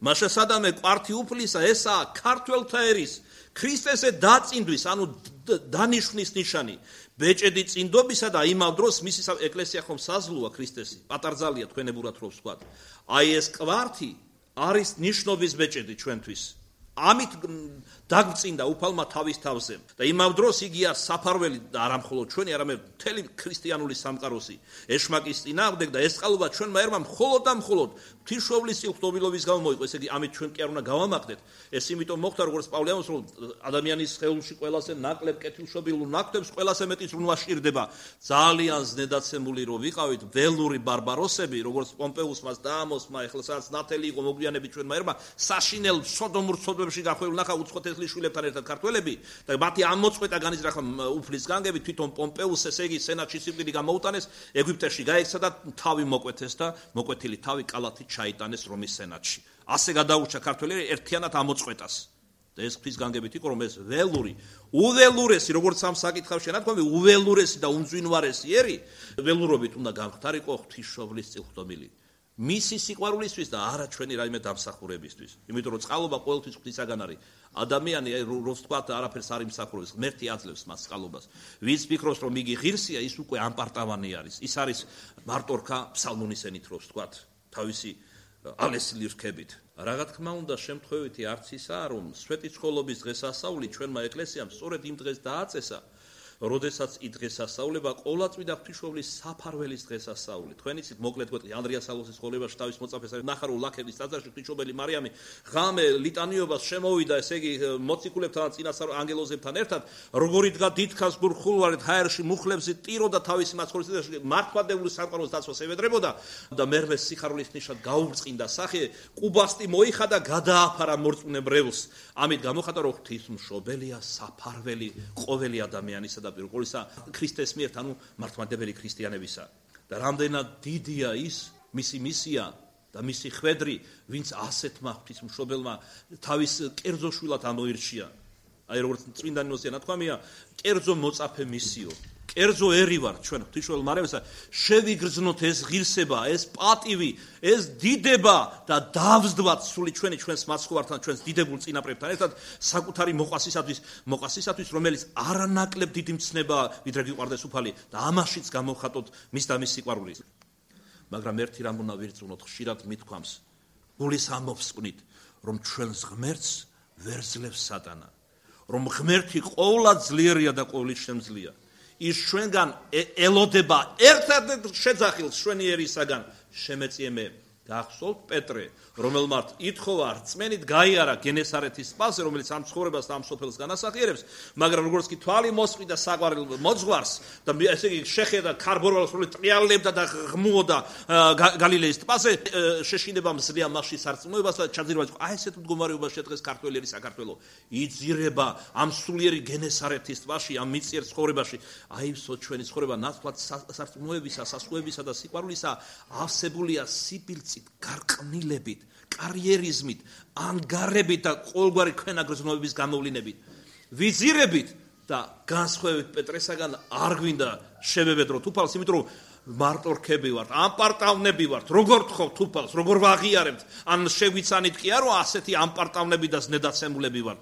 მაშასადამე კვართი უფლისა ესაა ქართველთა ერის ქრისტესე დაწინდვის, ანუ დანიშვნის ნიშანი, ბეჭედი წინდობისა და იმავ დროს მისი ეკლესია ხომ საზლუა ქრისტესი, პატარძალია თქვენებურად რო ვსვათ. აი ეს კვართი არის ნიშნობის ბეჭედი ჩვენთვის. ამით დაგწინდა უფალმა თავის თავზე და იმავ დროს იგია საფარველი და არა მხოლოდ ჩვენი, არამედ მთელი ქრისტიანული სამყაროსი ეშმაკის წინააღმდეგ და ეს წყალობა ჩვენმა ერმა მხოლოდ და მხოლოდ ღვთისმშობლის წილხდომილობის გამო მოიყო. ესე იგი ამით ჩვენ კი არ უნდა გავამაყდეთ. ეს იმიტომ მოხდა, როგორც პავლე ამბობს, რომ ადამიანის სხეულში ყველაზე ნაკლებ კეთილშობილურ ნაკვთებს ყველაზე მეტი ზრუნვა სჭირდება. ძალიან ზნედაცემული რო ვიყავით ველური ბარბაროსები, როგორც პომპეუსმა დაამოსმა, ეხლა სადაც ნათელი იყო მოგვიანებით ჩვენმა ერმა, საშინელ სოდომურ სოდომში გახვეულ ნახა უცხოთესლის შვილებთან ერთად ქართველები და მათი ამოწყვეტა განიზრახა უფლის განგებით, თვითონ პომპეუსს, ესე იგი სენატში სიკვდილი გამოუტანეს, ეგვიპტეში გაიქცა და თავი მოკვეთეს და მოკვეთილი თავი კალათით ჩაიტანეს რომის სენატში. ასე გადაურჩა ქართველები ერთიანად ამოწყვეტას. და ეს ღვთის განგებით იყო, რომ ეს ველური, უველურესი, როგორც ამ საკითხავში ნათქვამი, უველურესი და უმძვინვარესი ერი, ველურობით უნდა გამხდარიყო ღვთისმშობლის წილხდომილი. მისი სიყვარულისთვის და არა ჩვენი რაიმე დამსახურებისთვის. იმიტომ რომ წყალობა ყოველთვის ღვთისაგან არის. ადამიანი რო ვთქვათ არაფერს არ იმსახურებს, ღმერთი აძლევს მას წყალობას. ვინც ფიქრობს რომ იგი ღირსია, ის უკვე ამპარტავანი არის. ის არის მარტორქა ფსალმონის ენით რო ვთქვათ, თავისი ალესილი რქებით. რა თქმა უნდა, შემთხვევითი არც ისაა, რომ სვეტიცხოვლობის დღესასწაული ჩვენმა ეკლესიამ სწორედ იმ დღეს დააწესა, როდესაც იდღესასწაულება ყოვლადწმიდა ღვთისმშობლის საფარველის დღესასწაული. თქვენ იცით, მოკლედ გვეტყვი, ანდრია სალოსის ცხოვრებაში თავის მოწაფეს არის ნახარო ლაქების ტაძარში ღვთისმშობელი მარიამი ღამე ლიტანიობას შემოვიდა, ესე იგი მოციქულებთან წინასწარ ანგელოზებთან ერთად, როგორ იდგა დიდქას გურხულვარით ჰაერში მუხლებზე ტიროდა თავისი მაცხოვრებელში, მართლმადიდებლური სამყაროს დაცვას ევედრებოდა და მერვე სიხარულის ნიშნად გაუბრწყინდა სახე, ყუბასტი მოიხადა, გადააფარა მორწმუნე ბრევლს. ამით გამოხატა, რომ ღვთისმშობელია საფარველი ყოველი ადამიანისა და პირველ ყოვლისა ქრისტეს მიერ, ანუ მართლმადიდებელი ქრისტიანებისა. და რამდენად დიდია ის მისი მისია და მისი ხვედრი, ვინც ასეთმა ღვთისმშობელმა თავის კერძო შვილად ამოირჩია. აი როგორც წმინდა ნინოსია ნათქვამია, კერძო მოწაფე მისიო. კერძო ერი ვარ ჩვენ ღვთისმშობელ მარიამისა, შევიგრძნოთ ეს ღირსება, ეს პატივი, ეს დიდება და დავსდვათ სული ჩვენი ჩვენს მაცხოვართან, ჩვენს დიდებულ წინაპრებთან ერთად საკუთარი მოყვასისათვის, მოყვასისათვის, რომელიც არანაკლებ დიდი მცნებაა, ვიდრე გიყვარდეს უფალი და ამაშიც გამოვხატოთ მის და მის სიყვარულის. მაგრამ ერთი რამ უნდა ვირწმუნოთ, ხშირად მithქვამს, გულის ამოფსკვნით, რომ ჩვენს ღმერთს ვერ ძლევს სატანა, რომ ღმერთი ყოვლად ძლიერია და ყოვლით შემძლია. ის ჩვენგან ელოდება ერთადერთ შეძახილს ჩვენი ერისაგან, შემეწიე მე გახსოვთ პეტრე, რომელმაც ითხოვა რწმენით გაიარა გენესარეთის ტბაზე, რომელიც ამ ცხოვრებას და ამ სოფელს განასახიერებს, მაგრამ როგორც კი თვალი მოსყიდა საყვარელ მოძღვარს და ესე იგი შეხედა ქარბორვალს, რომელიც ტრიალებდა და ღმუოდა გალილეის ტბაზე, შეშინება მზრია მასში სარწმუნოებას და ჩაძირება, აი ესეთ მდგომარეობაში შედგეს ქართველი საქართველო. იძირება ამ სულიერი გენესარეთის ტბაში, ამ მიწიერ ცხოვრებაში, აივსო ჩვენი ცხოვრება ნათლად სარწმუნოებისა, სასუებისა და სიყვარულისა, ავსებულია სიბილწით, გარყვნილებით, კარიერიზმით, ანგარებით და ყოველგვარი ქვენაგრძნობების გამოვლინებით. ვიზირებით და განსხვავებით პეტრესაგან არ გვინდა შევებედროთ უფალს, იმიტომ რომ მარტო რქები ვართ, ამპარტავნები ვართ, როგორ თხოვთ უფალს, როგორ ვაღიარებთ, ან შეგვიცანით კი არა, ასეთი ამპარტავნები და ზნედაცემულები ვართ.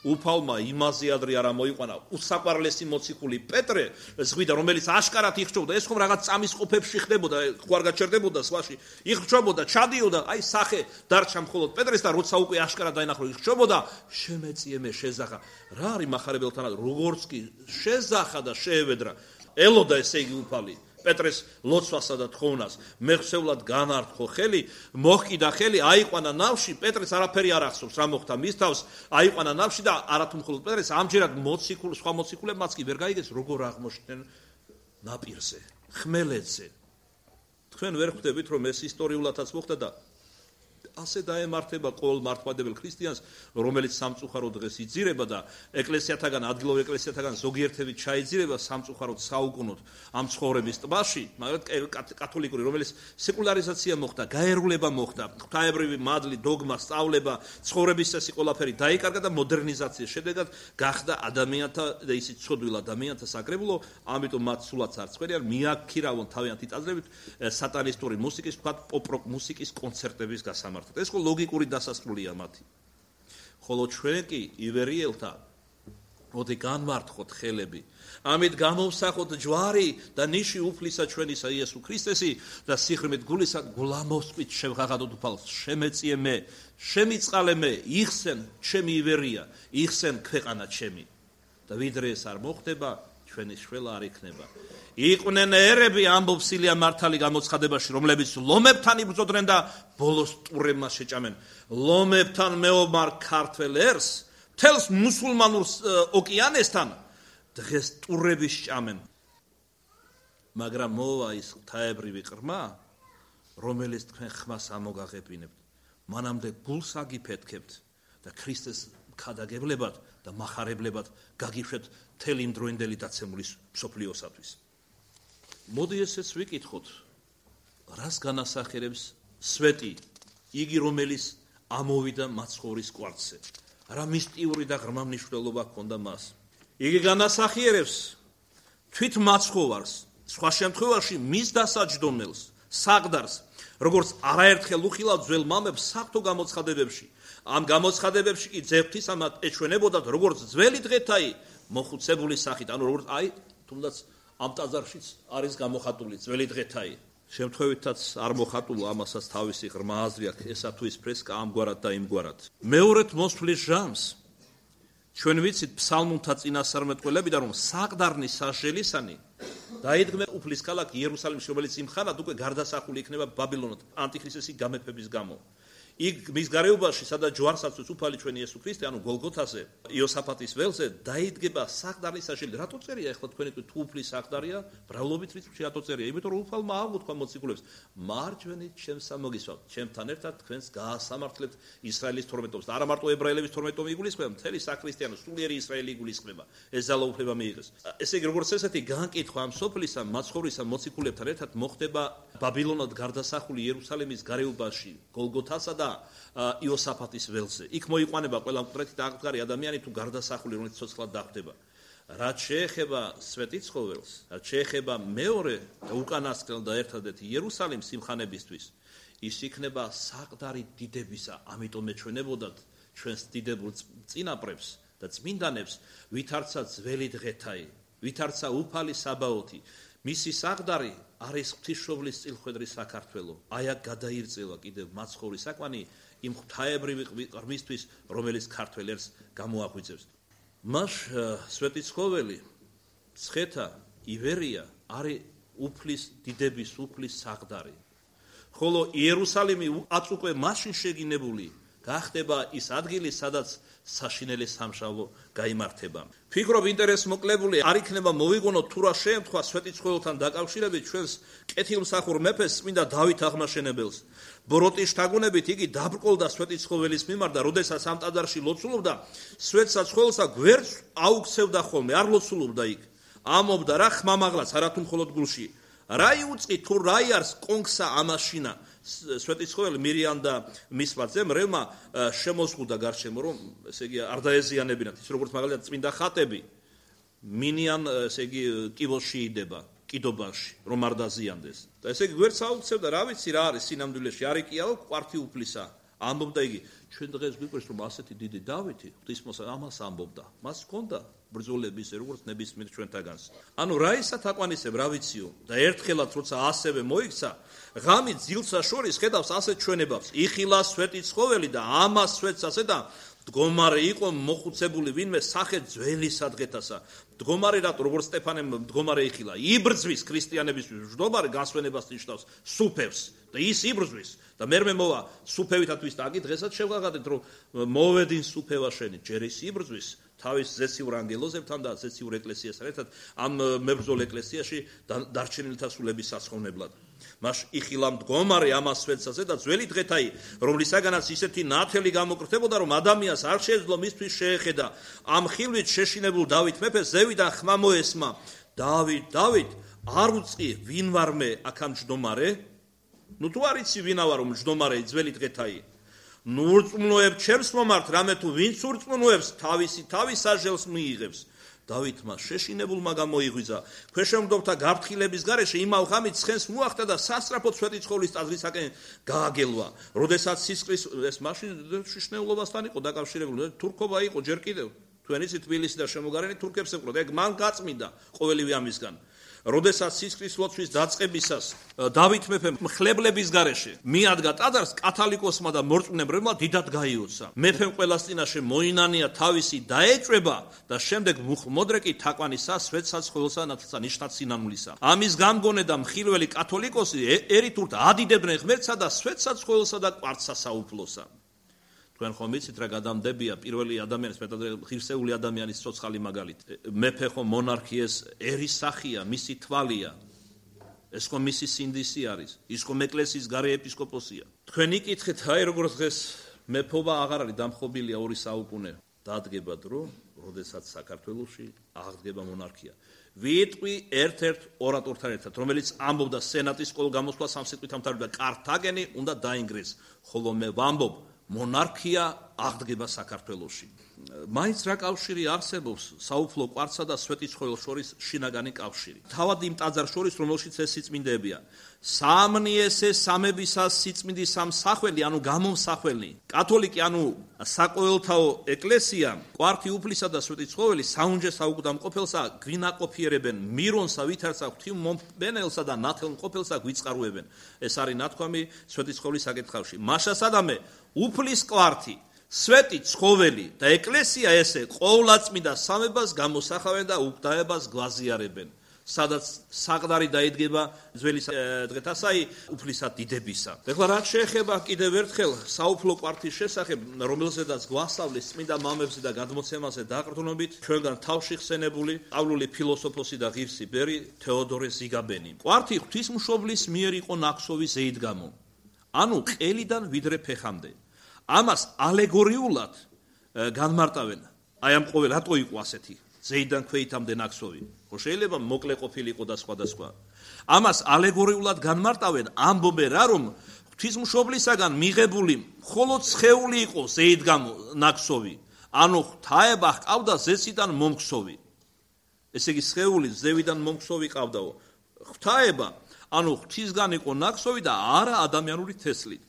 უფალმა იმაზე ადრე არა მოიყვანა უსაყვარლესი მოციქული პეტრე ზღვიდან, რომელიც აშკარად იხჭობდა, ეს ხომ რაღაც წამის ყოფებში ხდებოდა, ხო არ გაჩერდებოდა სხვაში, იხჭებოდა, ჩადიოდა, აი სახე დარჩა მხოლოდ პეტრეს და როცა უკვე აშკარად დაინახო იხჭებოდა, შემეწიე მე შეზახა. რა არის მახარებელთანაც, როგორც კი შეზახა და შეევედრა, ელოდა ესე იგი უფალი პეტრეს ლოცვასა და თხოვნას, მეხსევლად განართხო ხელი, მოჰკიდა ხელი, აიყვანა ნავში, პეტრეს არაფერი არ ახსოვს, რა მოხდა მის თავს, აიყვანა ნავში და არათუ მხოლოდ პეტრეს, ამჯერად მოციქულ, სხვა მოციქულებმაც კი ვერ გაიგეს, როგორ აღმოჩნდნენ ნაპირზე, ხმელეთზე. თქვენ ვერ ხვდებით, რომ ეს ისტორიულადაც მოხდა და ასე დაემართება ყოველ მართლმადებელ ქრისტიანს, რომელიც სამწუხაროდ დღეს იძირება და ეკლესიათაგან, ადგილობრივ ეკლესიათაგან ზოგიერთები ჩაიძირება სამწუხაროდ საუკუნოდ ამ ცხოვრების ტბაში, მაგრამ კათოლიკური, რომელიც სეკულარიზაცია მოხდა, გაერულება მოხდა, ღვთაებრივი მადლი, დოგმა, სწავლება, ცხოვრების წესი ყველაფერი დაიკარგა და მოდერნიზაციის შედეგად გახდა ადამიანთა და ისიც ცოდვილ ადამიანთა საკრებულო, ამიტომ მათ სულაც არ წვერიან, მიაქირავონ თავიანთი ტაძრებით სატანისტური მუსიკის, ვთქვათ, პოპ-როკ მუსიკის კონცერტების გასამართად. ეს ხო ლოგიკური დასასრულია მათი. ხოლო ჩვენ კი ივერიელთა მოდი განმართხოთ ხელები. ამით გამოვსახოთ ჯვარი და ნიში უფლისა ჩვენისა იესო ქრისტესი და სიხრმით გულისა გულამოსყვით შევღაღადოთ უფალს. შემეწიე მე, შემიწყალე მე, იხსენ ჩემი ივერია, იხსენ ქვეყანა ჩემი. და ვიდრე ეს არ მოხდება, ჩვენი შველა არ იქნება. იყვნენ ერები ამბობს ილია მართალი გამოცხადებაში, რომლებიც ლომებთან იბრძოდნენ და ბოლოს ტურებმა შეჭამენ. ლომებთან მეომარ ქართველ ერს, მთელს მუსულმანურ ოკეანესთან დღეს ტურები სჭამენ. მაგრამ მოვა ის ღვთაებრივი ყრმა, რომელიც თქვენ ხმას ამოგაღებინებთ. მანამდე გულს აგიფეთქებთ და ქრისტეს ქადაგებლებად და მახარებლებად გაგიშვეთ მთელი იმ დროინდელი დაცემული მსოფლიოსათვის. მოდი ესეც ვიკითხოთ, რას განასახიერებს სვეტი, იგი რომელიც ამოვიდა მაცხოვრის კვართზე. რა მისტიური და ღრმა მნიშვნელობა ჰქონდა მას. იგი განასახიერებს თვით მაცხოვარს, სხვა შემთხვევაში მის დასაჯდომელს, საყდარს, როგორც არაერთხელ უხილავ ძველ მამებს საღვთო გამოცხადებებში. ამ გამოცხადებებში კი ძევთის ამათ ეჩვენებოდათ, როგორც ძველი დღეთაი მოხუცებული სახით, ანუ როგორც აი თუნდაც ამ ტაძარშიც არის გამოხატული ძველი დღეთაი. შემთხვევითაც არ მოხატულა, ამასაც თავისი ღრმა აზრი აქვს, ესა თუ ის ფრესკა ამგვარად და იმგვარად. მეორედ მოსვლის ჟამს ჩვენ ვიცით ფსალმუნთა წინასწარმეტყველებიდან, რომ საყდარნის სასჯელისანი დაიდგმება უფლის ქალაქ იერუსალიმში, რომელიც იმ ხანად უკვე გარდასახული იქნება ბაბილონად ანტიქრისტესის გამეფების გამო. იქ მის გარეუბანში, სადაც ჯვარსაც უფალი ჩვენი იესო ქრისტე, ანუ გოლგოთაზე, იოსაფატის ველზე დაიდგება საყდარნის სასჯელი. რატო წერია ახლა თქვენი თუ უფლის საყდარია, ბრალობით რიცხვი რატო წერია? იმიტომ რომ უფალმა აღმოთქვა მოციქულებს, მარჯვენით ჩემსა მოგისვავთ, ჩემთან ერთად თქვენს გაასამართლებთ ისრაელის თორმეტობს. და არა მარტო ებრაელების თორმეტომი იგულისხმება, მთელი საქრისტიანო სულიერი ისრაელი იგულისხმება. ეს ძალაუფლება მიიღეს. ესე იგი, როგორც ესეთი განკითხვა ამ სოფლისა, მაცხოვრისა მოციქულებთან ერთად მოხდება ბაბილონად გარდასახული იერუსალიმის გარეუბანში, გოლგოთასა და იოსაფატის ველზე. იქ მოიყვანება ყველა მკვდრეთი და აკრძარი ადამიანი თუ გარდასახული, რომელიც ცოცხლად დახვდება. რაც შეეხება სვეტიცხოველს, რაც შეეხება მეორე და უკანასკნელ და ერთადერთი იერუსალიმს სიმხანებისთვის, ის იქნება საყდარი დიდებისა. ამიტომ ეჩვენებოდათ ჩვენს დიდებულ წინაპრებს და წმინდანებს, ვითარცა ძველი დღეთაი, ვითარცა უფალი საბაოთი. მისი საყდარი არის ღვთისმშობლის წილხვედრი საქართველო. აი აქ გადაირწევა კიდევ მაცხოვრის საკვანი იმ ღვთაებრივი ღრმისთვის, რომელიც ქართველ ერს გამოაღვიძებს. მას სვეტიცხოველი, ცხეთა, ივერია არის უფლის დიდების უფლის საყდარი, ხოლო იერუსალიმი აც უკვე მაშინ შეგინებული გახდება ის ადგილი, სადაც საშინელი სამშაბლო გაიმართება. ფიქრობ ინტერესს მოკლებული არ იქნება მოვიგონოთ თუ რა შეემთხვა სვეტიცხოველთან დაკავშირებით ჩვენს კეთილმსახურ მეფეს წმინდა დავით აღმაშენებელს. ბოროტის შთაგონებით იგი დაბრკოლდა სვეტიცხოველის მიმართ და როდესაც ამ ტაძარში ლოცულობდა, სვეტსაცხოველსა გვერდს აუქცევდა ხოლმე, არ ლოცულობდა იქ. ამობდა რა ხმამაღლაც, არა თუ მხოლოდ გულში. რა იუწყი თუ რა იარს კონგსა ამაშინა სვეტიცხოველი მირიან და მისმა ძემ რევმა შემოზღუდა გარშემო, რომ ესე იგი არ დაეზიანებინათ, ის როგორც მაგალითად წმინდა ხატები მინიან ესე იგი კიბოში იდება, კიდობაში, რომ არ დაზიანდეს. და ესე იგი გვერდს აუქცევდა, რა ვიცი რა არის სინამდვილეში, არ იკიაო კვართი უფლისა. ამბობდა იგი, ჩვენ დღეს გვიყვარს რომ ასეთი დიდი დავითი ღვთისმოსა ამას ამბობდა. მას ჰქონდა ბრძოლების როგორც ნებისმიერ ჩვენთაგანს. ანუ რა ისა თაყვანისებ რა ვიციო და ერთხელაც როცა ასევე მოიქცა, ღამით ძილსა შორის ხედავს ასეთ ჩვენებებს. იხილა სვეტიცხოველი და ამას სვეტს ასე და მდგომარე იყო მოხუცებული ვინმე სახე ძველი სადღეთასა. მდგომარე რატო როგორც სტეფანემ მდგომარე იხილა, იბრძვის ქრისტიანებისთვის მდგომარე გასვენებას ნიშნავს, სუფევს და ის იბრძვის და მერმე მოვა სუფევითათვის და აგი დღესაც შევღაღადეთ რომ მოვედინ სუფევა შენი, ჯერ ის იბრძვის თავის ზეციურ ანგელოზებთან და ზეციურ ეკლესიასთან ერთად ამ მებრძოლ ეკლესიაში დარჩენილთა სულების სასხოვნებლად. მას იხილა მდგომარე ამას სვეტსაზე და ძველი დღეთაი, რომლისაგანაც ისეთი ნათელი გამოკრთებოდა, რომ ადამიანს არ შეეძლო მისთვის შეეხედა. ამ ხილვით შეშინებულ დავით მეფეს ზევიდან ხმა მოესმა. დავით, დავით, არ უწყი ვინ ვარ მე აქ ამ ჯდომარე? ნუ თუ არ იცი ვინა ვარ მჯდომარე ძველი დღეთაი. ნუ ურწმუნოებ ჩემს მომართ, რამე თუ ვინც ურწმუნოებს, თავისი თავის საჟელს მიიღებს. დავითმა შეშინებულმა გამოიღვიძა. ქვეშევრდობთა გაფრთხილების გარეშე იმავ ღამით ცხენს მოახდა და სასწრაფოდ სვეტიცხოვლის ტაძრისაკენ გააგელვა. როდესაც სისხლის ეს მაშინ შიშნეულობასთან იყო დაკავშირებული, თურქობა იყო ჯერ კიდევ. თქვენ იცით თბილისი და შემოგარენი თურქებს ეკვროდა, ეგ მან გაწმინდა ყოველივე ამისგან. როდესაც სისხლის ლოცვის დაწყებისას დავით მეფემ მხლებლების გარეშე მიადგა ტაძარს, კათალიკოსმა და მორწმუნეებმა დიდად გაიოცა. მეფემ ყველას წინაშე მოინანია თავისი დაეჭვება და შემდეგ მუხმოდრეკი თაყვანისა სვეტსაცხოველსა და ნიშნად სინანულისა. ამის გამგონე და მხილველი კათოლიკოსი ერითურთ ადიდებდნენ ღმერთსა და სვეტსაცხოველსა და კვართსა საუფლოსა. თქვენ ხომ იცით რა გადამდებია პირველი ადამიანის მეტად ღირსეული ადამიანის ცოცხალი მაგალითი. მეფე ხომ მონარქიეს ერის სახია, მისი თვალია. ეს ხომ მისი სინდისი არის. ის ხომ ეკლესიის გარე ეპისკოპოსია. თქვენ იკითხეთ, აი როგორც დღეს მეფობა აღარ არის დამხობილია ორი საუკუნე. დადგება დრო, როდესაც საქართველოში აღდგება მონარქია. ვიტყვი ერთ-ერთ ორატორთან ერთად, რომელიც ამბობდა სენატის ყოველ გამოსვლას ამ სიტყვით ამთავრებდა კართაგენი უნდა დაინგრეს, ხოლო მე ვამბობ მონარქია აღდგება საქართველოში. მაინც რა კავშირი არსებობს საუფლო კვართსა და სვეტიცხოველს შორის შინაგანი კავშირი. თავად იმ ტაძარ შორის, რომელშიც ეს სიწმინდეებია. სამნიესე სამებისას სიწმინდის სამსახველი, ანუ გამომსახველი. კათოლიკი, ანუ საყოველთაო ეკლესია, კვართი უფლისა და სვეტიცხოველი საუნჯეს საუკდამყოფელსა გვინაყოფიერებენ, მირონსა ვითარცა ღვთისმომბენელსა და ნათელმყოფელსა გვიწყარუებენ. ეს არის ნათქვამი სვეტიცხოვლის საკითხავში. მაშასადამე უფლის კვართი, სვეტი ცხოველი და ეკლესია ესე ყოვლადწმინდა სამებას გამოსახავენ და უგდაებას გვაზიარებენ. სადაც საყდარი დაიდგება ძველი დღეთასაი უფლისა დიდებისა. ეხლა რაც შეეხება კიდევ ერთხელ საუფლო კვართის შესახებ, რომელზედაც გვასწავლის წმინდა მამებზე და გადმოცემაზე დაყრდნობით, ჩვენგან თავში ხსენებული პავლული ფილოსოფოსი და ღირსი ბერი თეოდორე ზიგაბენი. კვართი ღვთისმშობლის მიერ იყო ნაქსოვი ზეიდგამო, ანუ ყელიდან ვიდრე ფეხამდე. ამას ალეგორიულად განმარტავენ. აი ამ ყოველ რატო იყო ასეთი ზეიდან ქვეითამდე ნაქსოვი? ხო შეიძლება მოკლე ყოფილიყო და სხვადასხვა. ამას ალეგორიულად განმარტავენ, ამბობენ რა რომ ღვთისმშობლისაგან მიღებული მხოლოდ სხეული იყო ზეიდგამო ნაქსოვი, ანუ ღვთაება ჰყავდა ზესიდან მომხსოვი. ესე იგი სხეული ზევიდან მომხსოვი ყავდაო. ღვთაება ანუ ღვთისგან იყო ნაქსოვი და არა ადამიანური თესლით.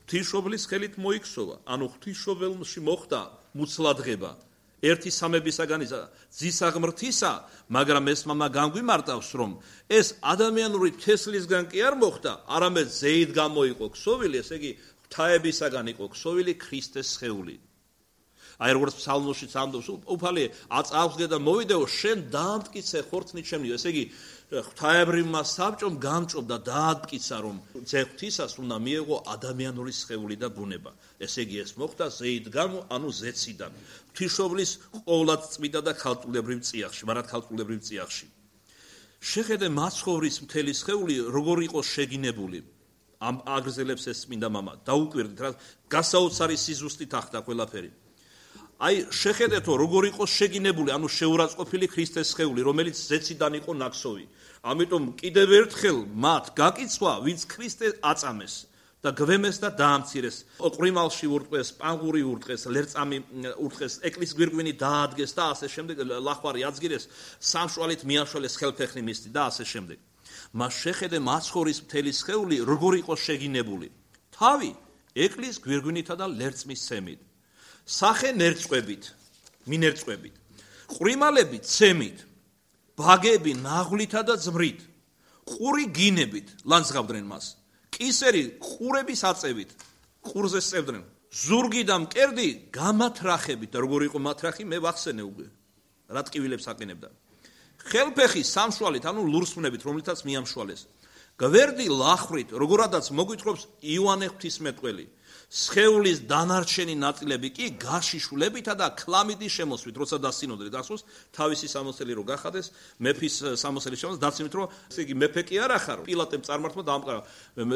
ღვთისმშობლის ხელით მოიქცოვა, ანუ ღვთისმშობელში მოხდა მუცლადღება. ერთი სამებისაგან ძისა ღმრთისა, მაგრამ ეს მამა განგვიმარტავს, რომ ეს ადამიანური თესლისგან კი არ მოხდა, არამედ ზეით გამოიყო ქსოვილი, ესე იგი ღვთაებისაგან იყო ქსოვილი ქრისტეს სხეული. აი როგორც ფსალმოშიც ამბობს, უფალი აწავსგე და მოვიდეო, შენ დაამტკიცე ხორცნით შემნიო. ესე იგი ღვთაებრივმა საბჭომ გამჭობდა და დაამტკიცა, რომ ძეღვთისას უნდა მიეღო ადამიანური სხეული და ბუნება. ესე იგი ეს მოხდა ზეით გამო, ანუ ზეციდან. ღვთისმშობლის ყოვლად წმინდა და ქალწულებრივ წიაღში, მარად ქალწულებრივ წიაღში. შეხედე მაცხოვრის მთელი სხეული როგორ იყო შეგინებული. ამ აგრძელებს ეს წმინდა მამა. დაუკვირდით რა გასაოცარი სიზუსტით ახდა ყველაფერი. აი შეხედეთო როგორ იყო შეგინებული, ანუ შეურაცხყოფილი ქრისტეს სხეული, რომელიც ზეციდან იყო ნაქსოვი. ამიტომ კიდევ ერთხელ მათ გაკიცვა, ვინც ქრისტე აწამეს და გვემეს და დაამცირეს. ყრიმალში ურტყეს, პანგური ურტყეს, ლერწამი ურტყეს, ეკლის გვირგვინი დაადგეს და ასე შემდეგ, ლახვარი აძგირეს, სამშვალით მიაშველეს ხელფეხი მისთი და ასე შემდეგ. მას შეხედე მაცხოვრის მთელი სხეული როგორ იყო შეგინებული. თავი ეკლის გვირგვინითა და ლერწმის ცემით. სახე ნერწყვებით, მინერწყვებით. ყრიმალები ცემით, ბაგები ნაღვლითა და ძმრით. ყური გინებით ლანძღავდნენ მას. კისერი ყურების აწევით, ყურზე სწევდნენ. ზურგი და მკერდი გამათრახებით და როგორ იყო მათრახი, მე ვახსენე უკვე. რა ტკივილებს აყენებდა. ხელფეხი სამშვალით, ანუ ლურსმნებით, რომლითაც მიამშვალეს. გვერდი ლახვით, როგორადაც მოგვითხრობს იოანე ღვთისმეტყველი. სხეულის დანარჩენი ნაწილები კი გაშიშვლებითა და ქლამიდის შემოსვით, როცა დასინოდრე გახსოვს, თავისი სამოსელი რო გახადეს, მეფის სამოსელი შემოს დაცინოთ, რომ ესე იგი მეფე კი არ ახარო. პილატემ წარმართმა დაამყარა.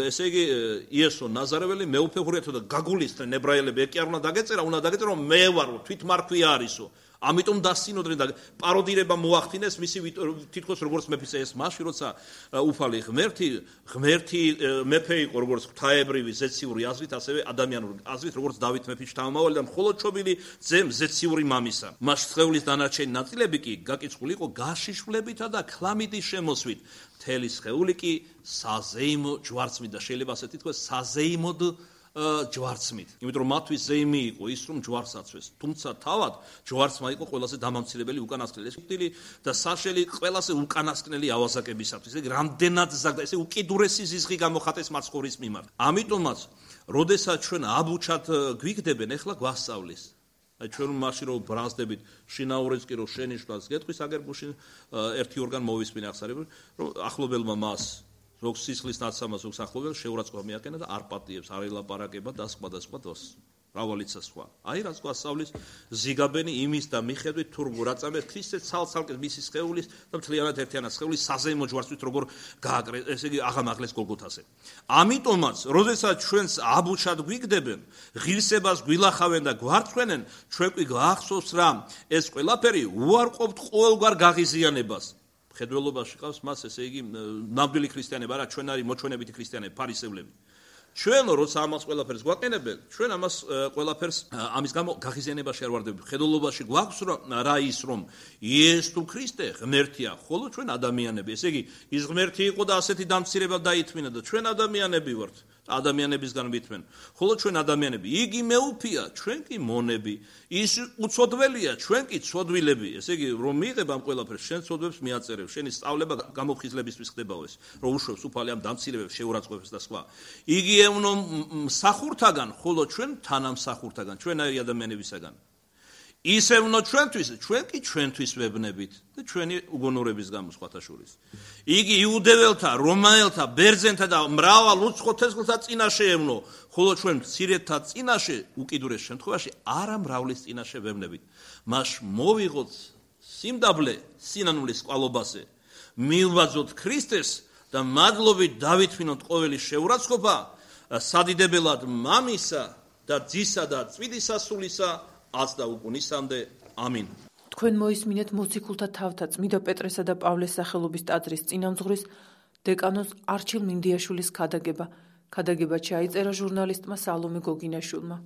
ესე იგი იესო ნაზარეველი მეუფე ღურიათო და გაგულისდნენ ებრაელები, ეკი არ უნდა დაგეწერა, უნდა დაგეწერა, რომ მე ვარო, თვითმარქვი არისო. ამიტომ დასინოდრე და პაროდირება მოახდინეს მისი თითქოს როგორც მეფის ეს მასში, როცა უფალი ღმერთი, ღმერთი მეფე იყო როგორც ღვთაებრივი ზეციური აზრით, ასევე ადამიანური აზრით, როგორც დავით მეფის შთამომავალი და მხოლოდ ჩობილი ძემ ზეციური მამისა. მას სხეულის დანარჩენი ნაწილები კი გაკიცხული იყო გაშიშვლებითა და ქლამიდის შემოსვით. მთელი სხეული კი საზეიმო ჯვარცმით და შეიძლება ასე თითქოს საზეიმოდ ჯვარცმით. იმიტომ რომ მათთვის ზეიმი იყო ის, რომ ჯვარს აცვეს. თუმცა თავად ჯვარცმა იყო ყველაზე დამამცირებელი უკანასკნელი. ეს ხტილი და საშელი ყველაზე უკანასკნელი ავაზაკებისათვის. ესე რამდენად ზაგდა, ესე უკიდურესი ზიზღი გამოხატეს მაცხოვრის მიმართ. ამიტომაც, როდესაც ჩვენ აბუჩად გვიგდებენ, ეხლა გვასწავლის. აი ჩვენ მაშინ რომ ბრაზდებით, შინაურიც კი რომ შენიშნავს, გეტყვის აგერბუში ერთი ორგან მოვისმინე ახსარები, რომ ახლობელმა მას ზოგ სისხლის ნაცამას ზოგ ახლობელ შეურაცხყოფა მიაკენა და არ პატიებს, არ ელაპარაკება და სხვა და სხვა დროს. მრავალიცა სხვა. აი რაც გვასწავლის ზიგაბენი იმის და მიხედვით თუ როგორ აწამეს ქრისტეს ცალ-ცალკე მისი სხეულის და მთლიანად ერთიანად სხეულის საზეიმო ჯვარცმით როგორ გააკრეს, ესე იგი აღამაღლეს გოლგოთაზე. ამიტომაც, როდესაც ჩვენს აბუჩად გვიგდებენ, ღირსებას გვილახავენ და გვარცხვენენ, ჩვენ კი გვახსოვს რა, ეს ყველაფერი უარყოფთ ყოველგვარ გაღიზიანებას. ხედველობაში ყავს მას, ესე იგი, ნამდვილი ქრისტიანები, არა ჩვენ არის მოჩვენებითი ქრისტიანები, ფარისევლები. ჩვენ როცა ამას ყველაფერს გვაყენებენ, ჩვენ ამას ყველაფერს ამის გამო გაღიზიანებაში არ ვარდებით. ხედველობაში გვაქვს რა ის რომ იესო თუ ქრისტე ღმერთია, ხოლო ჩვენ ადამიანები. ესე იგი, ის ღმერთი იყო და ასეთი დამცირება დაითმინა და ჩვენ ადამიანები ვართ. ადამიანებისგან ვითმენ. ხოლო ჩვენ ადამიანები, იგი მეუფია, ჩვენ კი მონები. ის უცოდველია, ჩვენ კი ცოდვილები. ესე იგი, რომ მიიღებ ამ ყველაფერს, შენ ცოდვებს მიაწერებ, შენი სწავლება გამოფხიზლებისთვის ხდებაო ეს, რომ უშვებს უფალი ამ დამცირებებს, შეურაცხყოფებს და სხვა. იგი ევნო მსახურთაგან, ხოლო ჩვენ თანამსახურთაგან, ჩვენაირი ადამიანებისაგან. ისევნო ჩვენთვის, ჩვენ კი ჩვენთვის ვებნებით და ჩვენი უგონურების გამო სხვათა შორის. იგი იუდეველთა, რომაელთა, ბერძენთა და მრავალ უცხო თესლთა წინაშე ევნო, ხოლო ჩვენ მცირედთა წინაშე, უკიდურეს შემთხვევაში, არა მრავლის წინაშე ვებნებით. მას მოვიღოთ სიმდაბლე სინანულის ყვალობაზე, მილვაძოთ ქრისტეს და მადლობით დავითმინოთ ყოველი შეურაცხყოფა, სადიდებელად მამისა და ძისა და წმინდისა სულისა აც და უკუნისამდე. ამინ. თქვენ მოისმინეთ მოციქულთა თავთა წმიდა პეტრესა და პავლეს სახელობის ტაძრის წინამძღვრის დეკანოზ არჩილ მინდიაშვილის ქადაგება. ქადაგება ჩაიწერა ჟურნალისტმა სალომე გოგინაშვილმა.